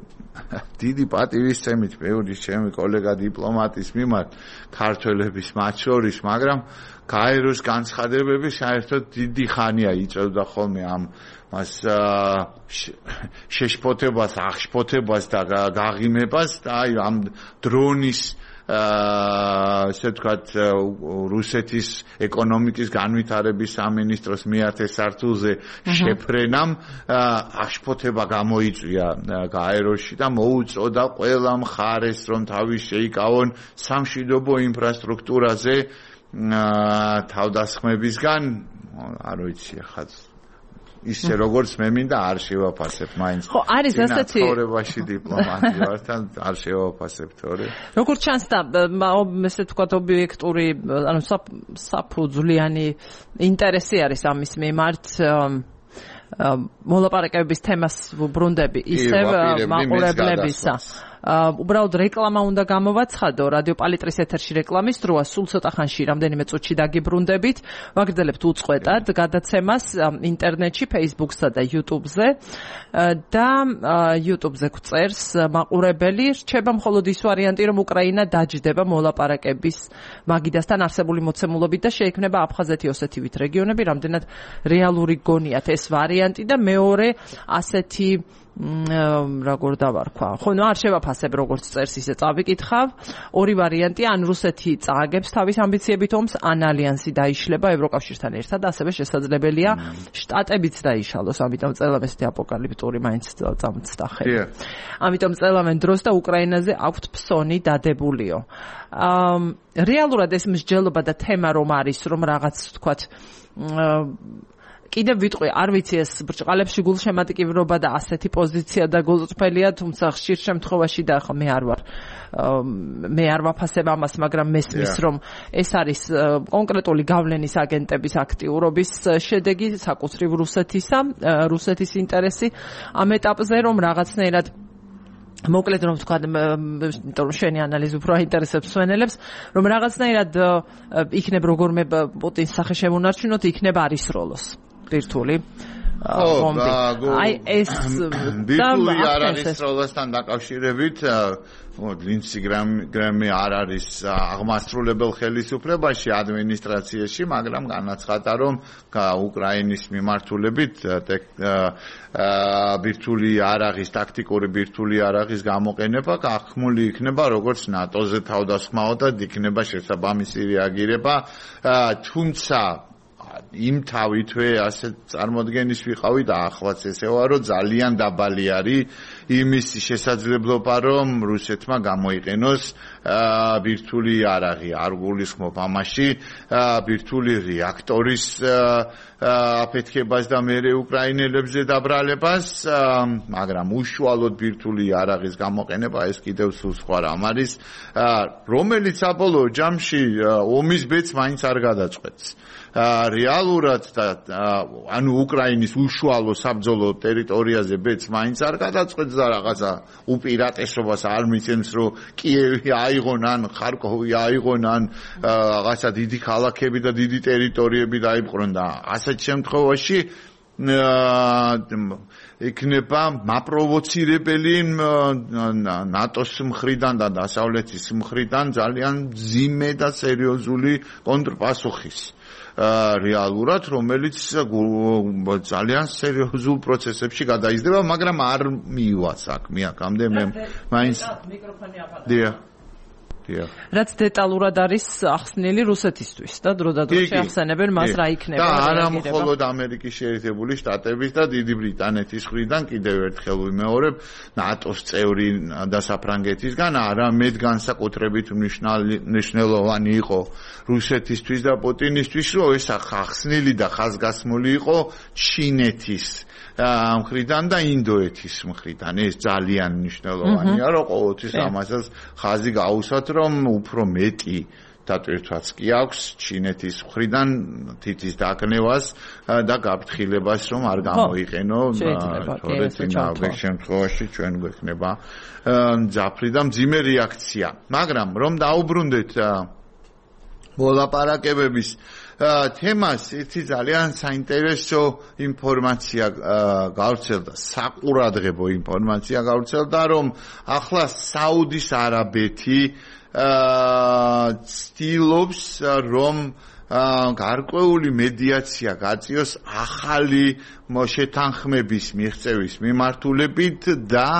დიდი პატივისცემით მეურის ჩემი კოლეგა დიპლომატის მიმართ ქართველების მათ შორის, მაგრამ გაეროს განცხადებები საერთოდ დიდი ხანია იწევდა ხოლმე ამ მას შეშფოთებას, აღშფოთებას და გაღიმებას და აი ამ დრონის ასე ვთქვათ რუსეთის ეკონომიკის განვითარების სამინისტროს მეათე სართულზე შეფრენამ აღშფოთება გამოიწვია გაეროში და მოუწოდა ყველა მხარეს, რომ თავის შეიკავონ სამშვიდობო ინფრასტრუქტურაზე თავდასხმებისგან. არ ვიცი ახლა ისე როგორც მე მინდა არ შევაფასებ მაინც. ხო, არის ასეთი ცხოვრებაში დიპლომატია ვარ თან არ შევაფასებ თორე. როგორც ჩანს და ესე ვთქვათ ობიექტური, ანუ საფუძვლიანი ინტერესი არის ამის მიმართ მოლაპარაკებების თემას ვუბრუნდები ისევ მაყურებლებისა. უბრალოდ რეკლამა უნდა გამოვაცხადო რადიო პალიტრის ეთერში რეკლამის დროა სულ ცოტა ხანში რამდენიმე წუთში დაგიბრუნდებით ვაგრძელებთ უწყვეტად გადაცემას ინტერნეტში Facebook-სა და YouTube-ზე და YouTube-ზე გვწერს მაყურებელი რჩება მხოლოდ ის ვარიანტი რომ უკრაინა დაჯდება მოლაპარაკების მაგიდასთან არსებული მოცემულობით და შეექმნება აფხაზეთი ოსეთივით რეგიონები რამდენად რეალური გონიათ ეს ვარიანტი და მეორე ასეთი როგორ დავარქვა. ხო, ნუ არ შევაფასებ როგორც წერს ისე წავიკითხავ. ორი ვარიანტია, ან რუსეთი წააგებს თავის ამბიციებით ომს, ან ალიანსი დაიშლება ევროკავშირთან ერთად, ასევე შესაძლებელია შტატებიც დაიშალოს, ამიტომ წელავენ ესეთი აპოკალიფტური მაინც წამოწდა ხელი. ამიტომ წელავენ დროს და უკრაინაზე აქვთ ფსონი დადებულიო. რეალურად ეს მსჯელობა და თემა რომ არის, რომ რაღაც ვთქვათ კიდევ ვიტყვი, არ ვიცი ეს ბრჭყალებში გულშემატკივრობა და ასეთი პოზიცია და გულწრფელია, თუმცა ხშირ შემთხვევაში და ხო მე არ ვარ მე არ ვაფასებ ამას, მაგრამ მესმის რომ ეს არის კონკრეტული გავლენის აგენტების აქტიურობის შედეგი საკუთრივ რუსეთისა, რუსეთის ინტერესი ამ ეტაპზე რომ რაღაცნაირად მოკლედ რომ ვთქვა, იმიტომ რომ შენი ანალიზი უფრო აინტერესებს მსვენელებს, რომ რაღაცნაირად იქნებ როგორმე პუტინს სახე შემონარჩუნოთ, იქნებ არისროლოს. ბირთვული ბომბი. აი ეს ბირთვული არ არის როლასთან დაკავშირებით ლინცი გრამი არ არის აღმასრულებელ ხელისუფლებაში ადმინისტრაციაში, მაგრამ განაცხადა რომ უკრაინის მიმართულებით ბირთვული არაღის ტაქტიკური ბირთვული არაღის გამოყენება გახმული იქნება როგორც ნატოზე თავდასხმაოდად იქნება შესაბამისი რეაგირება, თუმცა იმ თავითვე ასე წარმოდგენის ვიყავი და ახლაც ესევა რომ ძალიან დაბალი არის იმის შესაძლებლობა რომ რუსეთმა გამოიყენოს ბირთვული არაღი არ გულისხმობ ამაში ბირთვული რეაქტორის აფეთქებას და მერე უკრაინელებზე დაბრალებას, მაგრამ უშუალოდ ბირთვული არაღის გამოყენება ეს კიდევ სულ სხვა რამ არის, რომელიც საბოლოო ჯამში ომის ბედს მაინც არ გადაწყვეტს. რეალურად და ანუ უკრაინის უშუალო საბრძოლო ტერიტორიაზე ბედს მაინც არ გადაწყვეტს და რაღაცა უპირატესობას არ მიცემს რომ კიევი აიღონ ან ხარკოვი აიღონ ან რაღაცა დიდი ქალაქები და დიდი ტერიტორიები დაიპყრონ და ასეთ შემთხვევაში იქნება მაპროვოცირებელი ნატოს მხრიდან და დასავლეთის მხრიდან ძალიან ძიმე და სერიოზული კონტრპასუხის რეალურად, რომელიც ძალიან სერიოზულ პროცესებში გადაიზრდება, მაგრამ არ მივა საქმე აქამდე მე მაინც მიკროფონი აფარდა. რაც დეტალურად არის ახსნილი რუსეთისთვის და დრო და დრო შეახსენებენ მას რა იქნება და არა მხოლოდ ამერიკის შეერთებული შტატების და დიდი ბრიტანეთის მხრიდან კიდევ ერთხელ ვიმეორებ ნატოს წევრი და საფრანგეთისგან არამედ განსაკუთრებით მნიშვნელოვანი იყო რუსეთისთვის და პუტინისთვის რომ ეს ახსნილი და ხაზგასმული იყო ჩინეთის მხრიდან და ინდოეთის მხრიდან ეს ძალიან მნიშვნელოვანია რომ ყოველთვის ამასაც ხაზი გაუსვათ რომ უფრო მეტი დატვირთვაც კი აქვს ჩინეთის მხრიდან თითის დაკნევას და გაფრთხილებას რომ არ გამოიყენო თორე წინავე შემთხვევაში ჩვენ გვექნება ძაფრი და მძიმე რეაქცია, მაგრამ რომ დაუბრუნდეთ მოლაპარაკებების თემას ერთი ძალიან საინტერესო ინფორმაცია გავრცელდა, საყურადღებო ინფორმაცია გავრცელდა, რომ ახლა საუდის არაბეთი ცდილობს რომ გარკვეული მედიაცია გაწიოს ახალი შეთანხმების მიღწევის მიმართულებით და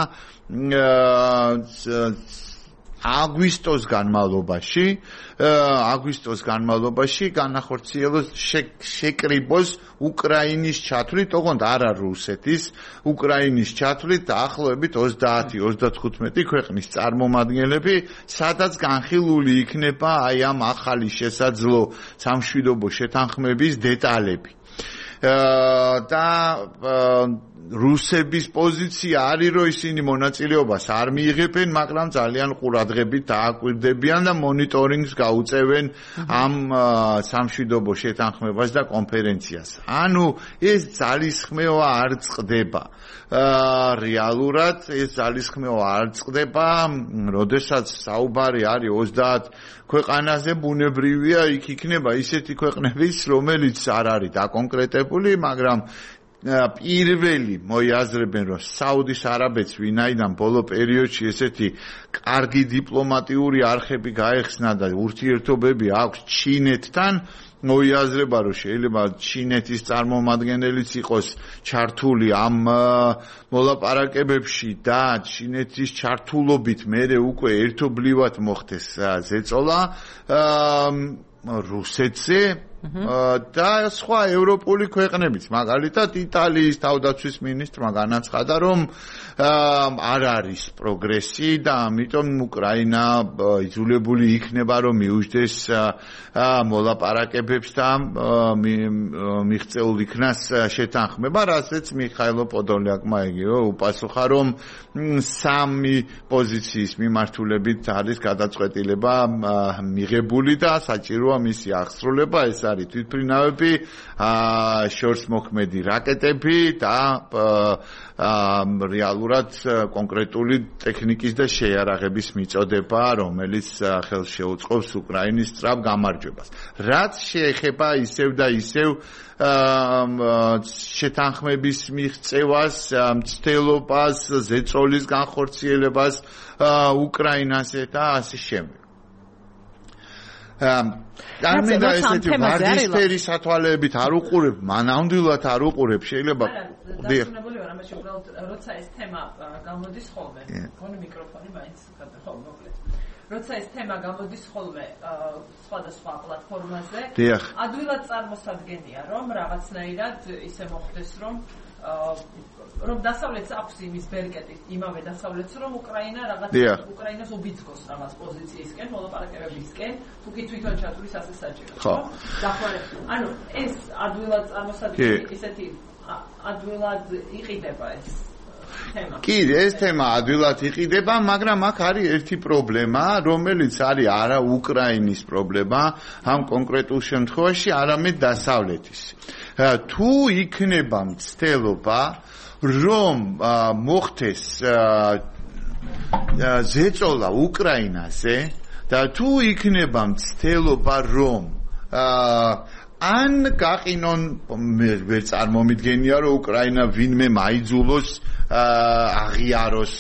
აგვისტოს განმავლობაში აგვისტოს განმავლობაში განახორციელოს შეკრიბოს უკრაინის ჩათვლით, ოღონდ არა რუსეთის, უკრაინის ჩათვლით დაახლოებით ოცდაათი ოცდათხუთმეტი ქვეყნის წარმომადგენლები, სადაც განხილული იქნება აი ამ ახალი შესაძლო სამშვიდობო შეთანხმების დეტალები. და რუსების პოზიცია არის, რომ ისინი მონაწილეობას არ მიიღებენ, მაგრამ ძალიან ყურადღებით დააკვირდებიან და მონიტორინგს გაუწევენ ამ სამშვიდობო შეთანხმებას და კონფერენციას. ანუ ეს ძალისხმევა არ წყდება. რეალურად ეს ძალისხმევა არ წყდება, როდესაც საუბარი არის ოცდაათ ქვეყანაზე, ბუნებრივია, იქ იქნება ისეთი ქვეყნებიც, რომელიც არ არის დაკონკრეტებული, მაგრამ პირველი მოიაზრებენ, რომ საუდის არაბეთს ვინაიდან ბოლო პერიოდში ესეთი კარგი დიპლომატიური არხები გაეხსნა და ურთიერთობები აქვს ჩინეთთან, მოიაზრება, რომ შეიძლება ჩინეთის წარმომადგენელიც იყოს ჩართული ამ მოლაპარაკებებში და ჩინეთის ჩართულობით მერე უკვე ერთობლივად მოხდეს ზეწოლა რუსეთზე და სხვა ევროპული ქვეყნებიც, მაგალითად იტალიის თავდაცვის მინისტრმა განაცხადა, რომ არ არის პროგრესი და ამიტომ უკრაინა იძულებული იქნება, რომ მიუჯდეს მოლაპარაკებებს და მიღწეულ იქნას შეთანხმება, რასაც მიხაილო პოდოლიაკმა იგივე უპასუხა, რომ სამი პოზიციის მიმართულებით არის გადაწყვეტილება მიღებული და საჭიროა მისი აღსრულება, ეს არის თვითმფრინავები, შორსმოქმედი რაკეტები და რეალურად კონკრეტული ტექნიკის და შეიარაღების მიწოდება, რომელიც ხელს შეუწყობს უკრაინის სწრაფ გამარჯვებას. რაც შეეხება ისევ და ისევ შეთანხმების მიღწევას, მცდელობას, ზეწოლის განხორციელებას უკრაინაზე და ასე შემდეგ. Არმინდა ესეთი ვარდისფერი სათვალეებით არ უყურებ, მანამდვილად არ უყურებ, შეიძლება დარწმუნებული ვარ, ამაში უბრალოდ როცა ეს თემა გამოდის ხოლმე, გონი მიკროფონი მაინც ხო მოკლედ. როცა ეს თემა გამოდის ხოლმე სხვადასხვა პლატფორმაზე, ადვილად წარმოსადგენია, რომ რაღაცნაირად ისე მოხდეს, რომ რომ დასავლეთს აქვს იმის ბერკეტი, იმავე დასავლეთს, რომ უკრაინა რაღაც უკრაინას უბიძგოს რაღაც პოზიციისკენ, მოლაპარაკებებისკენ, თუ კი თვითონ ჩათვლის ასე საჭირო. ხო? დახმარება. ანუ ეს ადვილად წარმოსადგენია, ისეთი ადვილად იყიდება ეს თემა. კი, ეს თემა ადვილად იყიდება, მაგრამ აქ არის ერთი პრობლემა, რომელიც არის არა უკრაინის პრობლემა, ამ კონკრეტულ შემთხვევაში, არამედ დასავლეთის. თუ იქნება მცდელობა, რომ მოხდეს ზეწოლა უკრაინაზე და თუ იქნება მცდელობა, რომ ან გაყინონ, ვერ წარმომიდგენია, რომ უკრაინა ვინმე მაიძულოს აღიაროს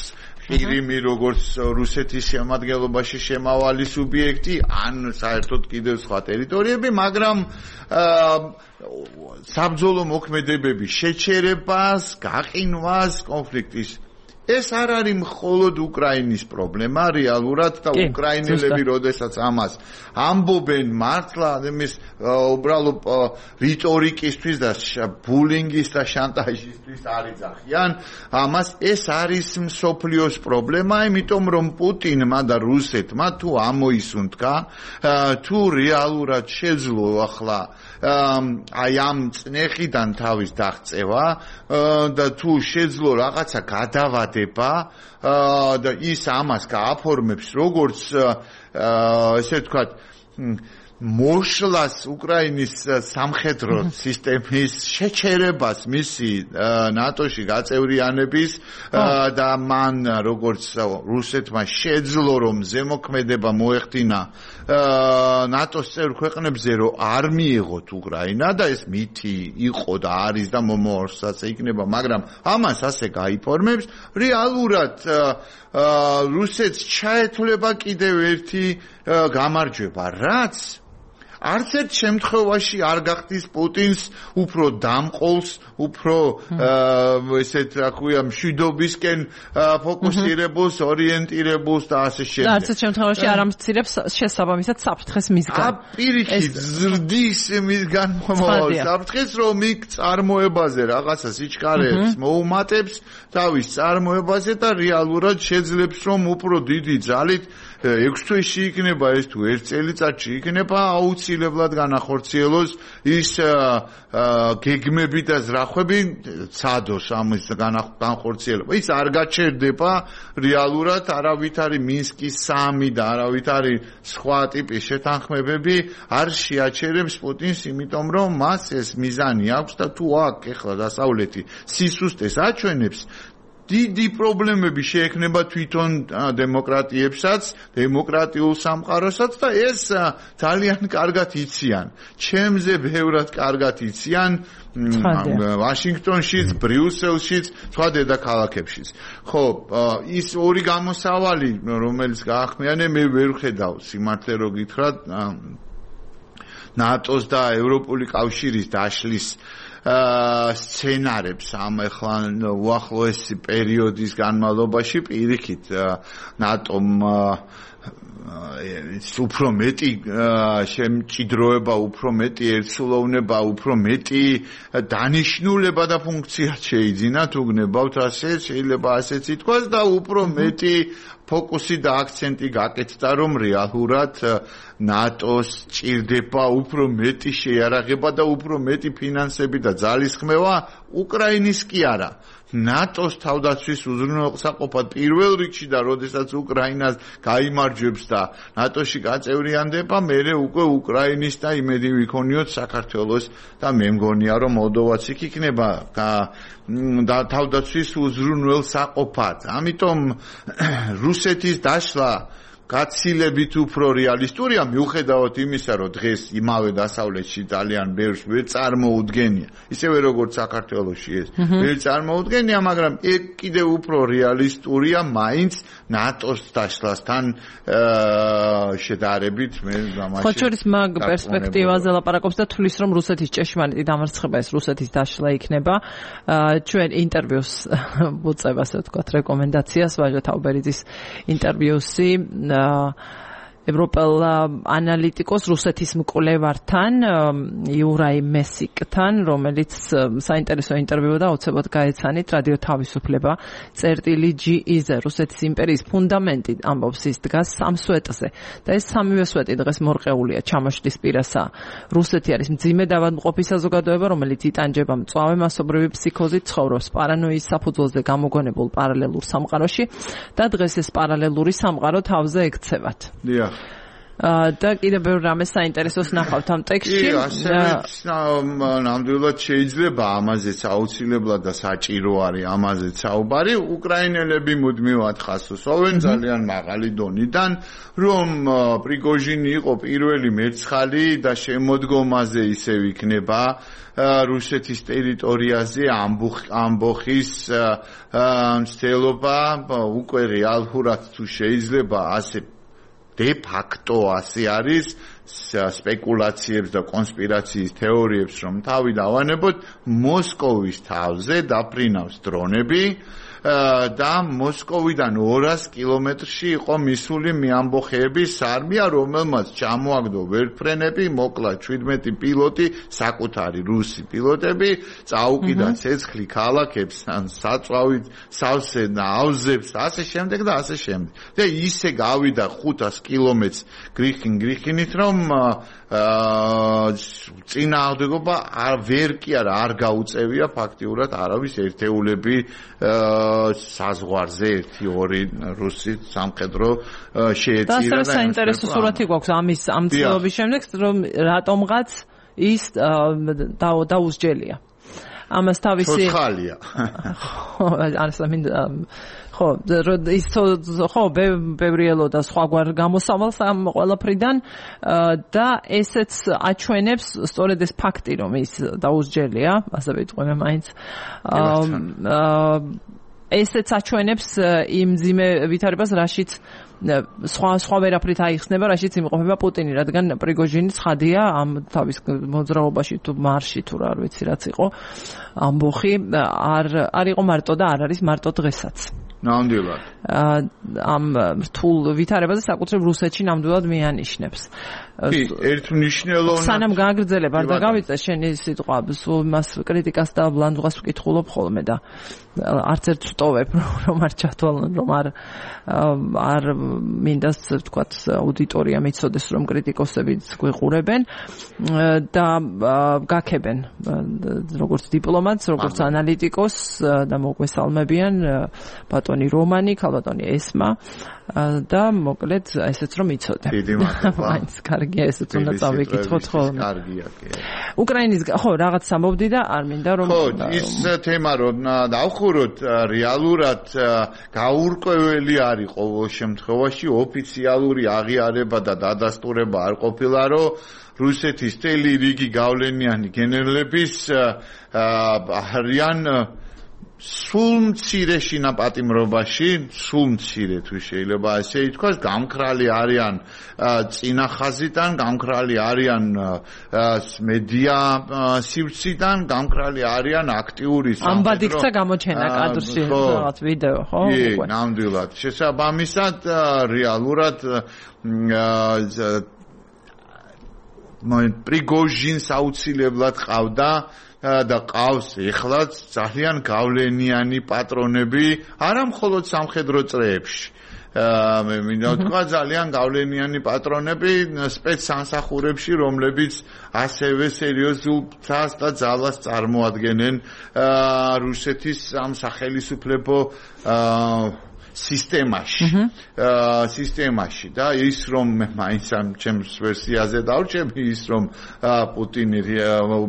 ყირიმი როგორც რუსეთის შემადგენლობაში შემავალი სუბიექტი, ან საერთოდ კიდევ სხვა ტერიტორიები, მაგრამ საბრძოლო მოქმედებების შეჩერებას, გაყინვას, კონფლიქტის ეს არ არის მხოლოდ უკრაინის პრობლემა, რეალურად და უკრაინელები როდესაც ამას ამბობენ მართლა ამის უბრალოდ რიტორიკისთვის და ბულინგის და შანტაჟისთვის არ იძახიან, ამას ეს არის მსოფლიოს პრობლემა, იმიტომ რომ პუტინმა და რუსეთმა თუ ამოისუნთქა, თუ რეალურად შეძლო ახლა აი ამ წნეხიდან თავის დაღწევა და თუ შეძლო რაღაცა გადავა და ის ამას გააფორმებს როგორც ესე ვთქვათ მოშლას უკრაინის სამხედრო სისტემის შეჩერებას მისი ნატოში გაწევრიანების და მან როგორც რუსეთმა შეძლო რომ ზემოქმედება მოეხდინა ნატოს წევრ ქვეყნებზე რომ არ მიიღოთ უკრაინა და ეს მითი იყო და არის და მომავალსაც იქნება, მაგრამ ამას ასე გაიფორმებს რეალურად რუსეთს ჩაეთვლება კიდევ ერთი გამარჯვება, რაც არც ერთ შემთხვევაში არ გახდის პუტინს უფრო დამყოლს, უფრო ესეთ რა ქვია მშვიდობისკენ ფოკუსირებულს, ორიენტირებულს და ასე შემდეგ. არც ერთ შემთხვევაში არ ამცირებს შესაბამისად საფრთხეს მისგან. პირიქით ზრდის მისგან მომავალ საფრთხეს, რომ იქ წარმოებაზე რაღაცა სიჩქარეებს მოუმატებს თავის წარმოებაზე და რეალურად შეძლებს რომ უფრო დიდი ძალით ექვს თვეში იქნება ეს თუ ერთ წელიწადში იქნება აუცილებლად აუცილებლად განახორციელოს ის გეგმები და ზრახვები ცადოს ამის განახორციელება. ის არ გაჩერდება რეალურად, არავით არის მინსკის სამი და არავით არის სხვა ტიპის შეთანხმებები არ შეაჩერებს პუტინს, იმიტომ რომ მას ეს მიზანი აქვს და თუ აქ ეხლა დასავლეთი სისუსტეს აჩვენებს, დიდი პრობლემები შეექმნება თვითონ დემოკრატიებსაც, დემოკრატიულ სამყაროსაც და ეს ძალიან კარგად იციან. ჩემზე ბევრად კარგად იციან ვაშინგტონშიც, ბრიუსელშიც, სხვა დედაქალაქებშიც. ხო, ის ორი გამოსავალი, რომელიც გაახმიანე, მე ვერ ხედავ სიმართლე რო გითხრათ ნატოს და ევროპული კავშირის დაშლის სცენარებს ამ ახლა უახლოესი პერიოდის განმავლობაში პირიქით ნატომ უფრო მეტი შემჭიდროება, უფრო მეტი ერთსულოვნება, უფრო მეტი დანიშნულება და ფუნქცია შეიძინა, თუ გნებავთ ასე, შეიძლება ასეც ითქვას და უფრო მეტი ფოკუსი და აქცენტი გაკეთდა, რომ რეალურად ნატოს ჭირდება უფრო მეტი შეიარაღება და უფრო მეტი ფინანსები და ძალისხმევა უკრაინის კი არა. ნატოს თავდაცვის უზრუნველყოფად პირველ რიგში და როდესაც უკრაინას გაიმარჯვებს და ნატოში გაწევრიანდება, მერე უკვე უკრაინის და იმედი ვიქონიოთ საქართველოს და მე მგონია რომ მოლდოვაც იქ იქნება და თავდაცვის უზრუნველსაყოფად. ამიტომ რუსეთის დაშლა გაცილებით უფრო რეალისტურია, მიუხედავად იმისა, რომ დღეს იმავე დასავლეთში ძალიან ბევრს ვერ წარმოუდგენია. ისევე როგორც საქართველოში ეს ვერ წარმოუდგენია, მაგრამ ეგ კიდევ უფრო რეალისტურია მაინც ნატოს დაშლასთან შედარებით. მე გამაში ხო, შორის მაგ პერსპექტივაზე ლაპარაკობს და თulis რომ რუსეთის ჭეშმარიტი დამარცხება ეს რუსეთის დაშლა იქნება. ჩვენ ინტერვიუს ვუწევ, ასე ვთქვათ, რეკომენდაციას ვაჟა თავბერიძის ინტერვიუსი ევროპელ ანალიტიკოს რუსეთის მკვლევართან იურაი მესიკთან, რომელიც საინტერესო ინტერვიუ და უცებოდ გაეცანით რადიო თავისუფლება წერტილი ჯი ი-ზე. რუსეთის იმპერიის ფუნდამენტი ამბობს ის დგას სამ სვეტზე და ეს სამივე სვეტი დღეს მორყეულია ჩამოშლის პირასა. რუსეთი არის მძიმე დავადმყოფი საზოგადოება, რომელიც იტანჯება მწვავე მასობრივი ფსიქოზით, ცხოვრობს პარანოიის საფუძველზე გამოგონებულ პარალელურ სამყაროში და დღეს ეს პარალელური სამყარო თავზე ექცევათ. დიახ. და კიდევ ბევრ რამეს საინტერესოს ნახავთ ამ ტექსტში. ნამდვილად შეიძლება ამაზეც აუცილებლად და საჭირო არის ამაზეც საუბარი. უკრაინელები მუდმივად ხასუსოვენ ძალიან მაღალი დონიდან, რომ პრიგოჟინი იყო პირველი მერცხალი და შემოდგომაზე ისევ იქნება რუსეთის ტერიტორიაზე ამბოხის მცდელობა უკვე რეალურად თუ შეიძლება ასე de facto ასე არის სპეკულაციებს და კონსპირაციის თეორიებს რომ თავი დავანებოთ მოსკოვის თავზე დაფრინავს დრონები და მოსკოვიდან ორას კილომეტრში იყო მისული მიამბოხეების არმია, რომელმაც ჩამოაგდო ვერტმფრენები, მოკლა შვიდმეტი პილოტი, საკუთარი რუსი პილოტები, წაუკიდა ცეცხლი ქალაქებს, საწვავით, სავსე და ავზებს, ასე შემდეგ და ასე შემდეგ. და ისე გავიდა ხუთას კილომეტრს გრიხინ გრიხინით, რომ წინააღმდეგობა ვერ კი არა არ გაუწევია ფაქტიურად არავის ერთეულები საზღვარზე ერთი ორი რუსი სამხედრო შეეწირა და საინტერესო სურათი გვაქვს ამის ამ ცდილობის შემდეგ, რომ რატომღაც ის დაუსჯელია. ამას თავისი ხალია. ხო, ასე მინდა ხო, ის ხო ბევრი ელოდა სხვაგვარ გამოსავალს ამ ყველაფრიდან და ესეც აჩვენებს სწორედ ეს ფაქტი, რომ ის დაუსჯელია, ასე ვიტყვი მე მაინც. ესეც აჩვენებს იმ მძიმე ვითარებას, რაშიც სხვა სხვა ვერაფრით აიხსნება, რაშიც იმყოფება პუტინი, რადგან პრიგოჟინი ცხადია ამ თავის მოძრაობაში თუ მარში თუ რა არ ვიცი რაც იყო ამბოხი არ არ იყო მარტო და არ არის მარტო დღესაც. ნამდვილად. ამ რთულ ვითარებაზე საკუთრებ რუსეთში ნამდვილად მიანიშნებს. კი, ერთმნიშვნელოვნად სანამ გააგრძელებ არ დაგავიწე შენი სიტყვა, სულ მას კრიტიკას და ბლანდღას ვკითხულობ ხოლმე და არც ერთ ვტოვებ რომ არ ჩათვალონ რომ არ არ მინდას ვთქვათ აუდიტორია მიცოდეს რომ კრიტიკოსებიც გვიყურებენ და გაქებენ როგორც დიპლომატს, როგორც ანალიტიკოს და მოგვესალმებიან ბატონი რომანი, ქალბატონი ესმა და მოკლედ ესეც რომ იცოდე. დიდი მადლობა. მაინც კარგია ესეც უნდა წავიკითხოთ ხოლმე. კარგია კი. უკრაინის ხო რაღაც ამბობდი და არ მინდა რომ ხო ის თემა რომ დავხუროთ რეალურად გაურკვეველი არის ყოველ შემთხვევაში ოფიციალური აღიარება და დადასტურება არ ყოფილა რომ რუსეთის თელი რიგი გავლენიანი გენერლების არიან სულ მცირე შინაპატიმრობაში, სულ მცირე თუ შეიძლება ასე ითქვას, გამქრალი არიან წინახაზიდან, გამქრალი არიან მედია სივრციდან, გამქრალი არიან აქტიური სამხედრო. ამბად იქცა გამოჩენა კადრში რაღაც ვიდეო, ხო? კი, ნამდვილად. შესაბამისად რეალურად პრიგოჟინს აუცილებლად ყავდა და ყავს ეხლაც ძალიან გავლენიანი პატრონები არა მხოლოდ სამხედრო წრეებში. მე მინდა ვთქვა ძალიან გავლენიანი პატრონები სპეცსამსახურებში, რომლებიც ასევე სერიოზულ ფსას და ძალას წარმოადგენენ რუსეთის ამ სახელმწიფო სისტემაში სისტემაში და ის რომ მაინც ამ ჩემს ვერსიაზე დავჭები ის რომ პუტინი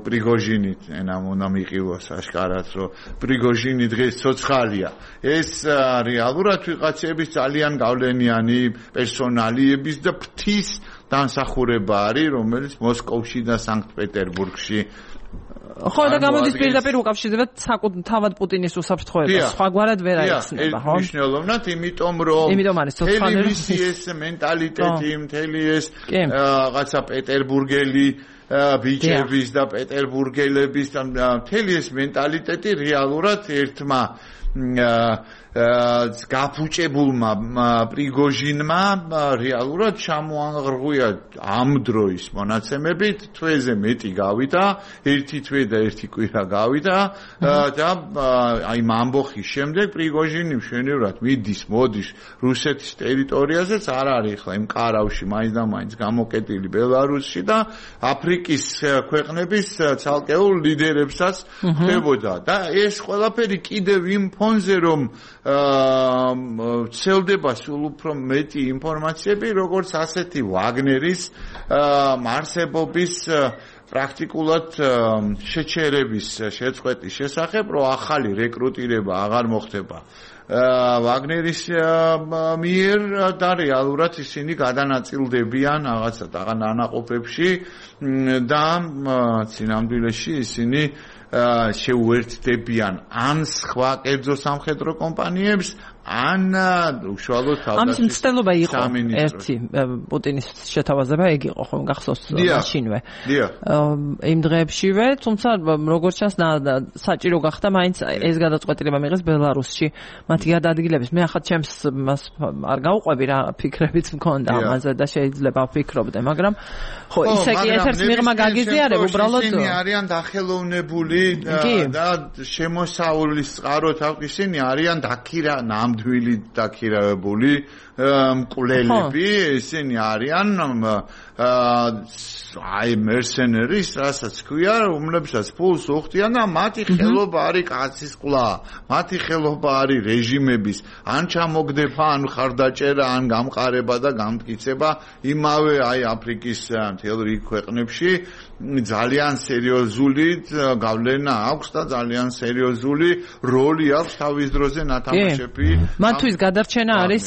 პრიგოჟინი ენამ უნდა მიყივოს აშკარად რომ პრიგოჟინი დღეს ცოცხალია ეს რეალურად ვიღაცების ძალიან გავლენიანი პერსონალიების და ფთის დამსახურება არის რომელიც მოსკოვში და სანქტ-პეტერბურგში ხო და გამოდის პირდაპირ უკავშირდება თავად პუტინის უსაფრთხოებას. სხვაგვარად ვერ აიხსნება, ხო? მნიშვნელოვნად, იმიტომ რომ თელევიზიის ეს მენტალიტეტი, მთელი ეს რაღაცა პეტერბურგელი ბიჭების და პეტერბურგელების და მთელი ეს მენტალიტეტი რეალურად ერთმა გაფუჭებულმა პრიგოჟინმა რეალურად ჩამოაღრღვია ამ დროის მონაცემებით თვეზე მეტი გავიდა ერთი თვე და ერთი კვირა გავიდა და აი ამბოხის შემდეგ პრიგოჟინი მშვენივრად მიდის მოდის რუსეთის ტერიტორიაზეც არ არის ხლა იმ კარავში მაინც და მაინც გამოკეტილი ბელარუსში და აფრიკის ქვეყნების ცალკეულ ლიდერებსაც ხდებოდა და ეს ყველაფერი კიდევ იმ ფონზე რომ ცელდება სულ უფრო მეტი ინფორმაციები როგორც ასეთი ვაგნერის მარსებობის პრაქტიკულად შეჩერების შეწყვეტის შესახებ რომ ახალი რეკრუტირება აღარ მოხდება ვაგნერის მიერ და რეალურად ისინი გადანაწილდებიან რაღაცა დანაყოფებში და სინამდვილეში ისინი შეუერთდებიან ან სხვა კერძო სამხედრო კომპანიებს ან უშუალოდ თავდაცვის ამის მცდელობა იყო ერთი პუტინის შეთავაზება ეგ იყო ხომ გახსოვს მაშინვე იმ დღეებშივე თუმცა როგორც ჩანს საჭირო გახდა მაინც ეს გადაწყვეტილება მიიღეს ბელარუსში მათი გადაადგილების მე ახლა ჩემს მას არ გავყვები რა ფიქრებიც მქონდა ამაზე და შეიძლება ვფიქრობდე მაგრამ ხო ისე კი ერთ-ერთ მიღმა გაგიზიარებ უბრალოდ ისინი არიან დახელოვნებული და შემოსავლის წყაროთ ისინი არიან დაქირა ნამდვილი დაქირავებული მკვლელები ისინი არიან აი მერსენერის რასაც ქვია რომლებსაც ფულს უხდიან და მათი ხელობა არის კაცის ყლა მათი ხელობა არის რეჟიმების ან ჩამოგდება ან ხარდაჭერა ან გამყარება და გამტკიცება იმავე აი აფრიკის მთელ რიგ ქვეყნებში ძალიან სერიოზული გავლენა აქვს და ძალიან სერიოზული როლი აქვს თავის დროზე ნათამაშები მათთვის გადარჩენა არის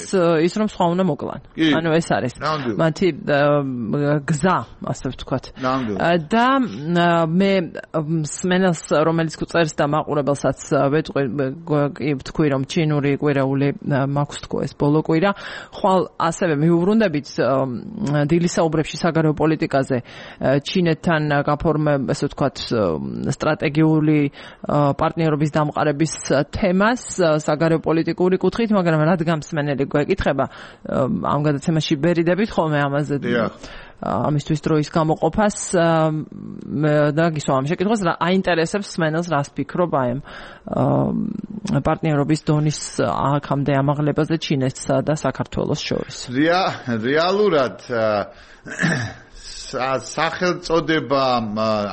ის რომ სხვა უნდა მოკლან ანუ ეს არის მათი გზა ასე ვთქვათ და მე სმენელს რომელიც გვწერს და მაყურებელსაც ვეთქვი ვთქვი რომ ჩინური კვირაული მაქვს თქო ეს ბოლო კვირა ხვალ ასევე მიუბრუნდებით დილის საუბრებში საგარეო პოლიტიკაზე ჩინეთთან მათგან გაფორმებ, ესე ვთქვათ, სტრატეგიული პარტნიორობის დამყარების თემას საგარეო პოლიტიკური კუთხით, მაგრამ რადგან მსმენელი გვეკითხება ამ გადაცემაში ბერიდებით ხოლმე ამაზე ამისთვის დროის გამოყოფას და გისვა ამ შეკითხვას რა აინტერესებს მსმენელს, რას ფიქრობ აი ამ პარტნიორობის დონის აქამდე ამაღლებაზე ჩინეთსა და საქართველოს შორის. რეალურად სახელწოდება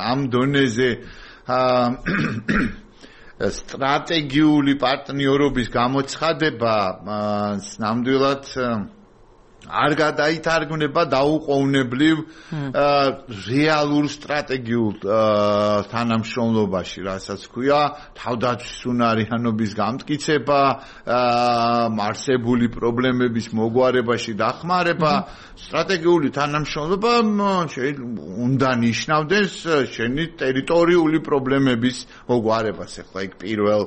ამ დონეზე სტრატეგიული პარტნიორობის გამოცხადება ნამდვილად არ გადაითარგმნება დაუყოვნებლივ რეალურ სტრატეგიულ თანამშრომლობაში, რასაც ქვია თავდაცვის უნარიანობის გამტკიცება, არსებული პრობლემების მოგვარებაში დახმარება, სტრატეგიული თანამშრომლობა უნდა ნიშნავდეს შენი ტერიტორიული პრობლემების მოგვარებას. ახლა იქ პირველ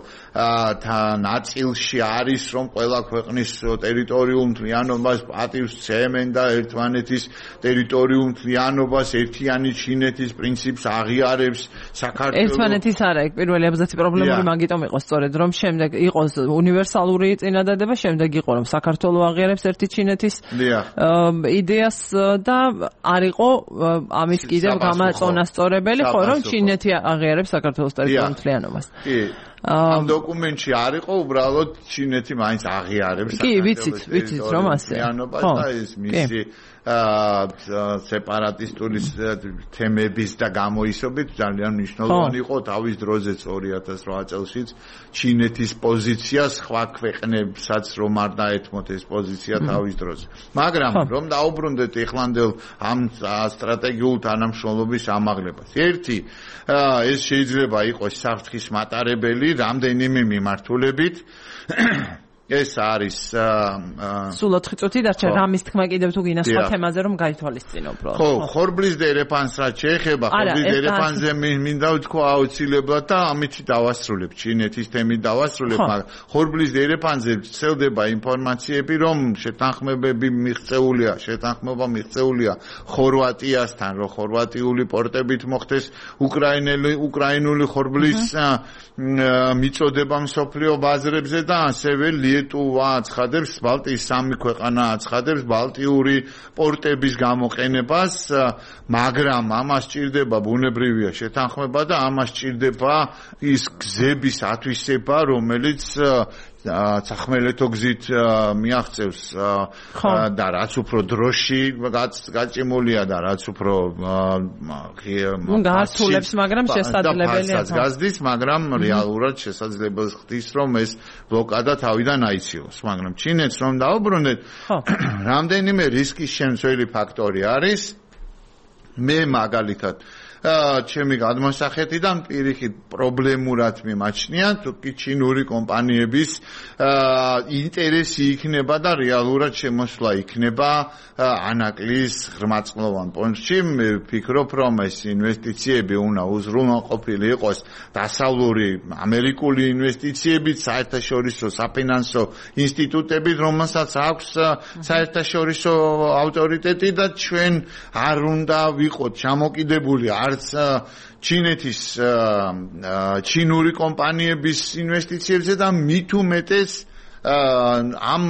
ნაწილში არის, რომ ყველა ქვეყნის ტერიტორიულ მთლიანობას პატივს ცემენ და ერთმანეთის ტერიტორიულ მთლიანობას ერთიანი ჩინეთის პრინციპს აღიარებს საქართველოს. ერთმანეთის არა, იქ პირველი აბზაცი პრობლემური მაგიტომ იყო სწორედ, რომ შემდეგ იყოს უნივერსალური წინადადება, შემდეგ იყო რომ საქართველოს აღიარებს ერთი ჩინეთის იდეას და არ იყო ამის კიდევ გამაწონასწორებელი, ხო, რომ ჩინეთი აღიარებს საქართველოს ტერიტორიულ მთლიანობას. კი. ამ დოკუმენტში არ იყო უბრალოდ ჩინეთი მაინც აღიარებს კი, ვიცით, ვიცით რომ ასე. ხო, ეს მისი სეპარატისტული თემების და გამოისობით ძალიან მნიშვნელოვანი იყო თავის დროზეც ორი ათას რვა წელშიც ჩინეთის პოზიცია სხვა ქვეყნებსაც რომ არ დაეთმოთ ეს პოზიცია თავის დროზე. მაგრამ რომ დაუბრუნდეთ ეხლანდელ ამ სტრატეგიულ თანამშრომლობის ამაღლებას. ერთი, ეს შეიძლება იყოს საფრთხის მატარებელი რამდენიმე მიმართულებით. ეს არის სულ ოთხი წუთი დარჩა, რამის თქმა კიდევ თუ გინდა სხვა თემაზე რომ გაითვალისწინო უბრალოდ. ხო, ხორბლის დერეფანს რაც შეეხება, ხორბლის დერეფანზე მინდა ვთქვა აუცილებლად და ამით დავასრულებ, ჩინეთის თემით დავასრულებ, მაგრამ ხორბლის დერეფანზე ვრცელდება ინფორმაციები, რომ შეთანხმებები მიღწეულია, შეთანხმება მიღწეულია ხორვატიასთან, რომ ხორვატიული პორტებით მოხდეს უკრაინელი უკრაინული ხორბლის მიწოდება მსოფლიო ბაზრებზე და ასევე ლიეტუვა აცხადებს, ბალტიის სამი ქვეყანა აცხადებს ბალტიური პორტების გამოყენებას, მაგრამ ამას სჭირდება ბუნებრივია შეთანხმება და ამას სჭირდება ის გზების ათვისება, რომელიც სახმელეთო გზით მიაღწევს და რაც უფრო დროში გაჭიმულია და რაც უფრო გასულებს, მაგრამ შესაძლებელია გაზდის, მაგრამ რეალურად შესაძლებელს ხდის, რომ ეს ბლოკადა თავიდან აიციოს. მაგრამ ჩინეთს რომ დაუბრუნდეთ, რამდენიმე რისკის შემცველი ფაქტორი არის. მე მაგალითად ჩემი გადმოსახედიდან პირიქით პრობლემურად მიმაჩნია, თუ კი ჩინური კომპანიების ინტერესი იქნება და რეალურად შემოსვლა იქნება ანაკლის ღრმაწყლოვან პონჩში. მე ვფიქრობ, რომ ეს ინვესტიციები უნდა უზრუნველყოფილი იყოს დასავლური ამერიკული ინვესტიციებით, საერთაშორისო საფინანსო ინსტიტუტებით, რომელსაც აქვს საერთაშორისო ავტორიტეტი და ჩვენ არ უნდა ვიყოთ ჩამოკიდებული არც ჩინეთის ჩინური კომპანიების ინვესტიციებზე და მით უმეტეს ამ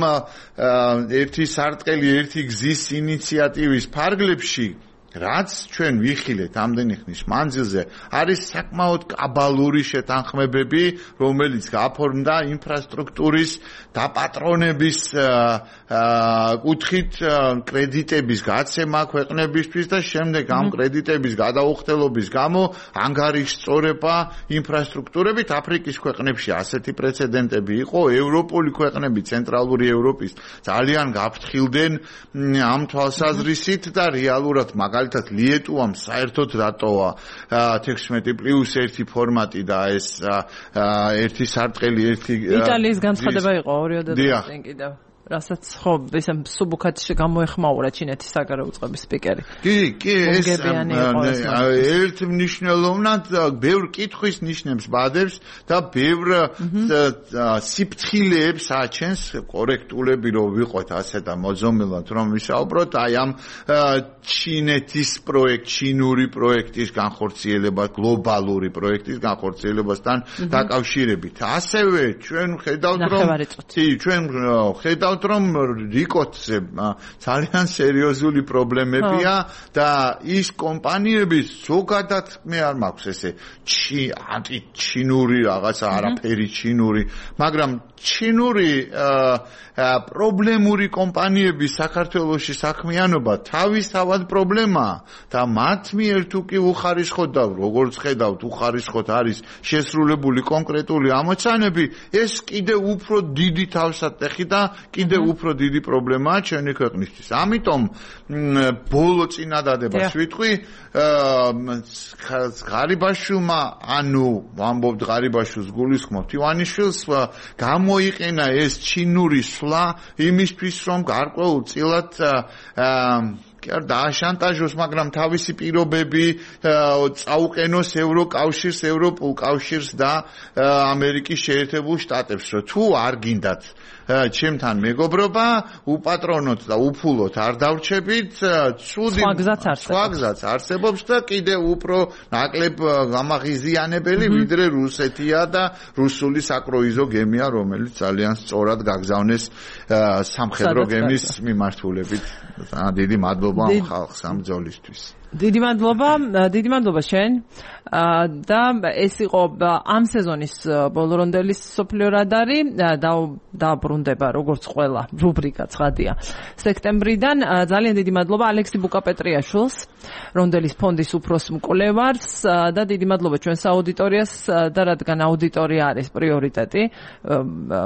ერთი სარტყელი ერთი გზის ინიციატივის ფარგლებში, რაც ჩვენ ვიხილეთ ამდენი ხნის მანძილზე, არის საკმაოდ კაბალური შეთანხმებები, რომელიც გაფორმდა ინფრასტრუქტურის დაპატრონების კუთხით კრედიტების გაცემა ქვეყნებისთვის და შემდეგ ამ კრედიტების გადაუხდელობის გამო ანგარიშწორება ინფრასტრუქტურებით. აფრიკის ქვეყნებში ასეთი პრეცედენტები იყო, ევროპული ქვეყნები, ცენტრალური ევროპის ძალიან გაფრთხილდნენ ამ თვალსაზრისით და რეალურად მაგალითად ლიეტუამ საერთოდ დატოვა თექვსმეტი პლუს ერთი ფორმატი და ეს ერთი სარტყელი ერთი იტალიის განცხადება იყო ორი ოცდაათი კიდევ. რასაც ხო ესე სუბუქად გამოეხმაურა ჩინეთის საგარეო უწყების სპიკერი. კი, კი, ეს ერთ მნიშვნელოვნად ბევრ კითხვის ნიშნებს ბადებს და ბევრ სიფრთხილეებს აჩენს კორექტულები რომ ვიყოთ ასე და მოძომილად რომ ვისაუბროთ აი ამ ჩინეთის პროექტ, ჩინური პროექტის განხორციელება, გლობალური პროექტის განხორციელებასთან დაკავშირებით. ასევე ჩვენ ხედავთ რომ კი, ჩვენ ხედავთ რომ რიკოტზე ძალიან სერიოზული პრობლემებია და ის კომპანიები ზოგადად მე არ მაქვს ესე ანტიჩინური რაღაცა არაფერი ჩინური, მაგრამ ჩინური პრობლემური კომპანიები საქართველოში საქმიანობა თავისთავად პრობლემაა და მათ მიერ თუ კი უხარისხოთ და როგორც ხედავთ უხარისხოთ არის შესრულებული კონკრეტული ამოცანები, ეს კიდე უფრო დიდი თავსატეხი და კიდე უფრო დიდი პრობლემაა ჩვენი ქვეყნისთვის. ამიტომ ბოლო წინადადებას ვიტყვი ღარიბაშვილმა, ანუ ვამბობთ ღარიბაშვილს გულისხმობთ ივანიშვილს, გამოიყენა ეს ჩინური სვლა იმისთვის, რომ გარკვეულწილად კი არ დააშანტაჟოს, მაგრამ თავისი პირობები წაუყენოს ევროკავშირს, ევროპულ კავშირს და ამერიკის შეერთებულ შტატებს, რომ თუ არ გინდათ ჩემთან მეგობრობა, უპატრონოთ და უფულოთ არ დავრჩებით, ცუდი სხვა გზაც არსებობს და კიდე უფრო ნაკლებ გამაღიზიანებელი ვიდრე რუსეთია და რუსული საკროიზო გემია, რომელიც ძალიან სწორად გაგზავნეს სამხედრო გემის მიმართულებით. დიდი მადლობა ხალხს ამ ბრძოლისთვის. დიდი მადლობა, დიდი მადლობა შენ. და ეს იყო ამ სეზონის ბოლო რონდელის სოფლიო რადარი და დაბრუნდება როგორც ყველა რუბრიკა ცხადია სექტემბრიდან. ძალიან დიდი მადლობა ალექსი ბუკაპეტრიაშვილს, რონდელის ფონდის უფროს მკვლევარს და დიდი მადლობა ჩვენს აუდიტორიას და რადგან აუდიტორია არის პრიორიტეტი,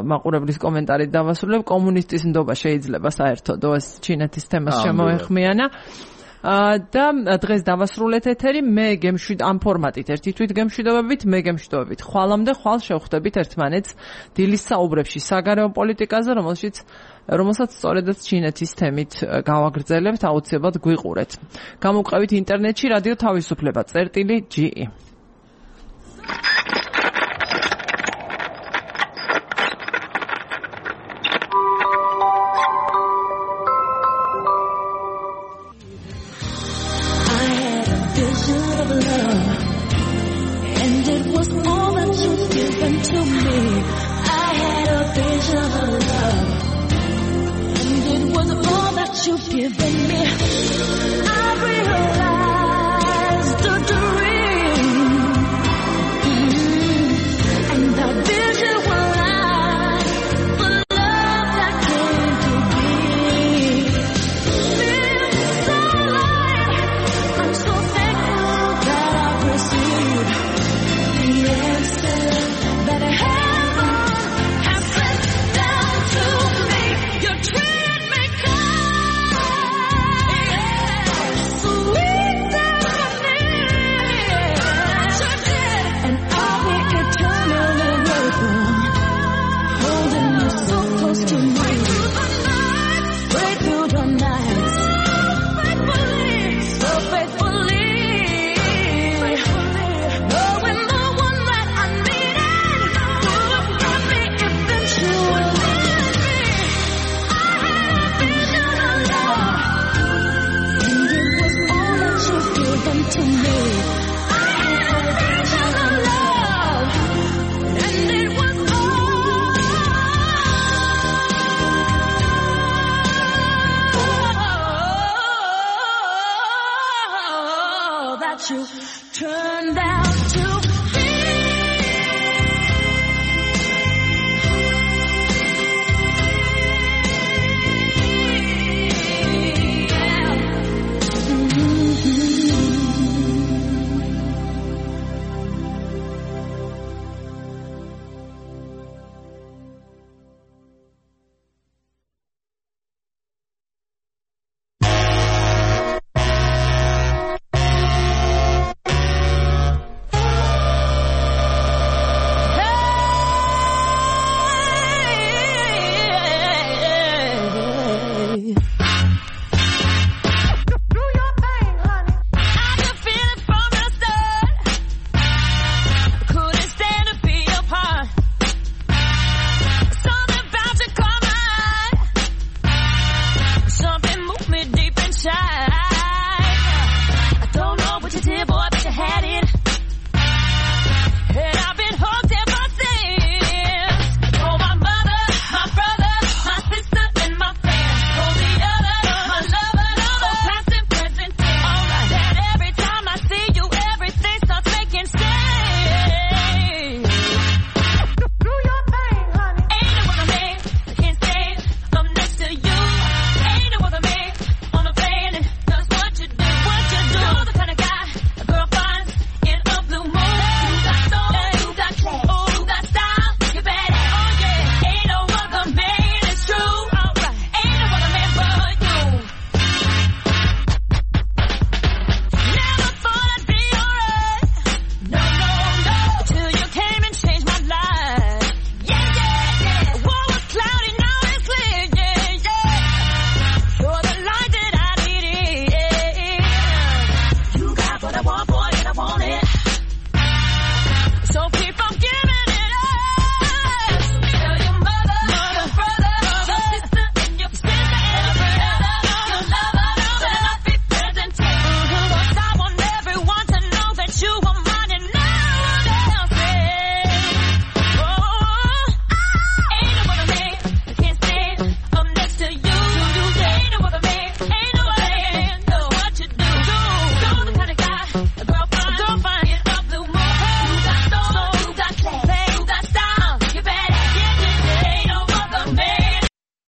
მაყურებლის კომენტარით დავასრულებ, კომუნისტის ნდობა შეიძლება საერთოდ ეს ჩინეთის თემას შემოეხმიანა. და დღეს დავასრულეთ ეთერი, მე გემშვიდ ამ ფორმატით ერთი თვით გემშვიდობებით, მე გემშვიდობებით ხვალამდე, ხვალ შევხვდებით ერთმანეთს დილის საუბრებში საგარეო პოლიტიკაზე, რომელშიც რომელსაც სწორედაც ჩინეთის თემით გავაგრძელებთ, აუცილებლად გვიყურეთ. გამოვყევით ინტერნეტში რადიო თავისუფლება წერტილი ჯი ი. You've given me, I realized the dream, mm-hmm. and the vision will lie, the love that came to be. Feels so light, I'm so thankful that I've received the answer that heaven has sent down to me. Your treat me kind. Holding you so close to me.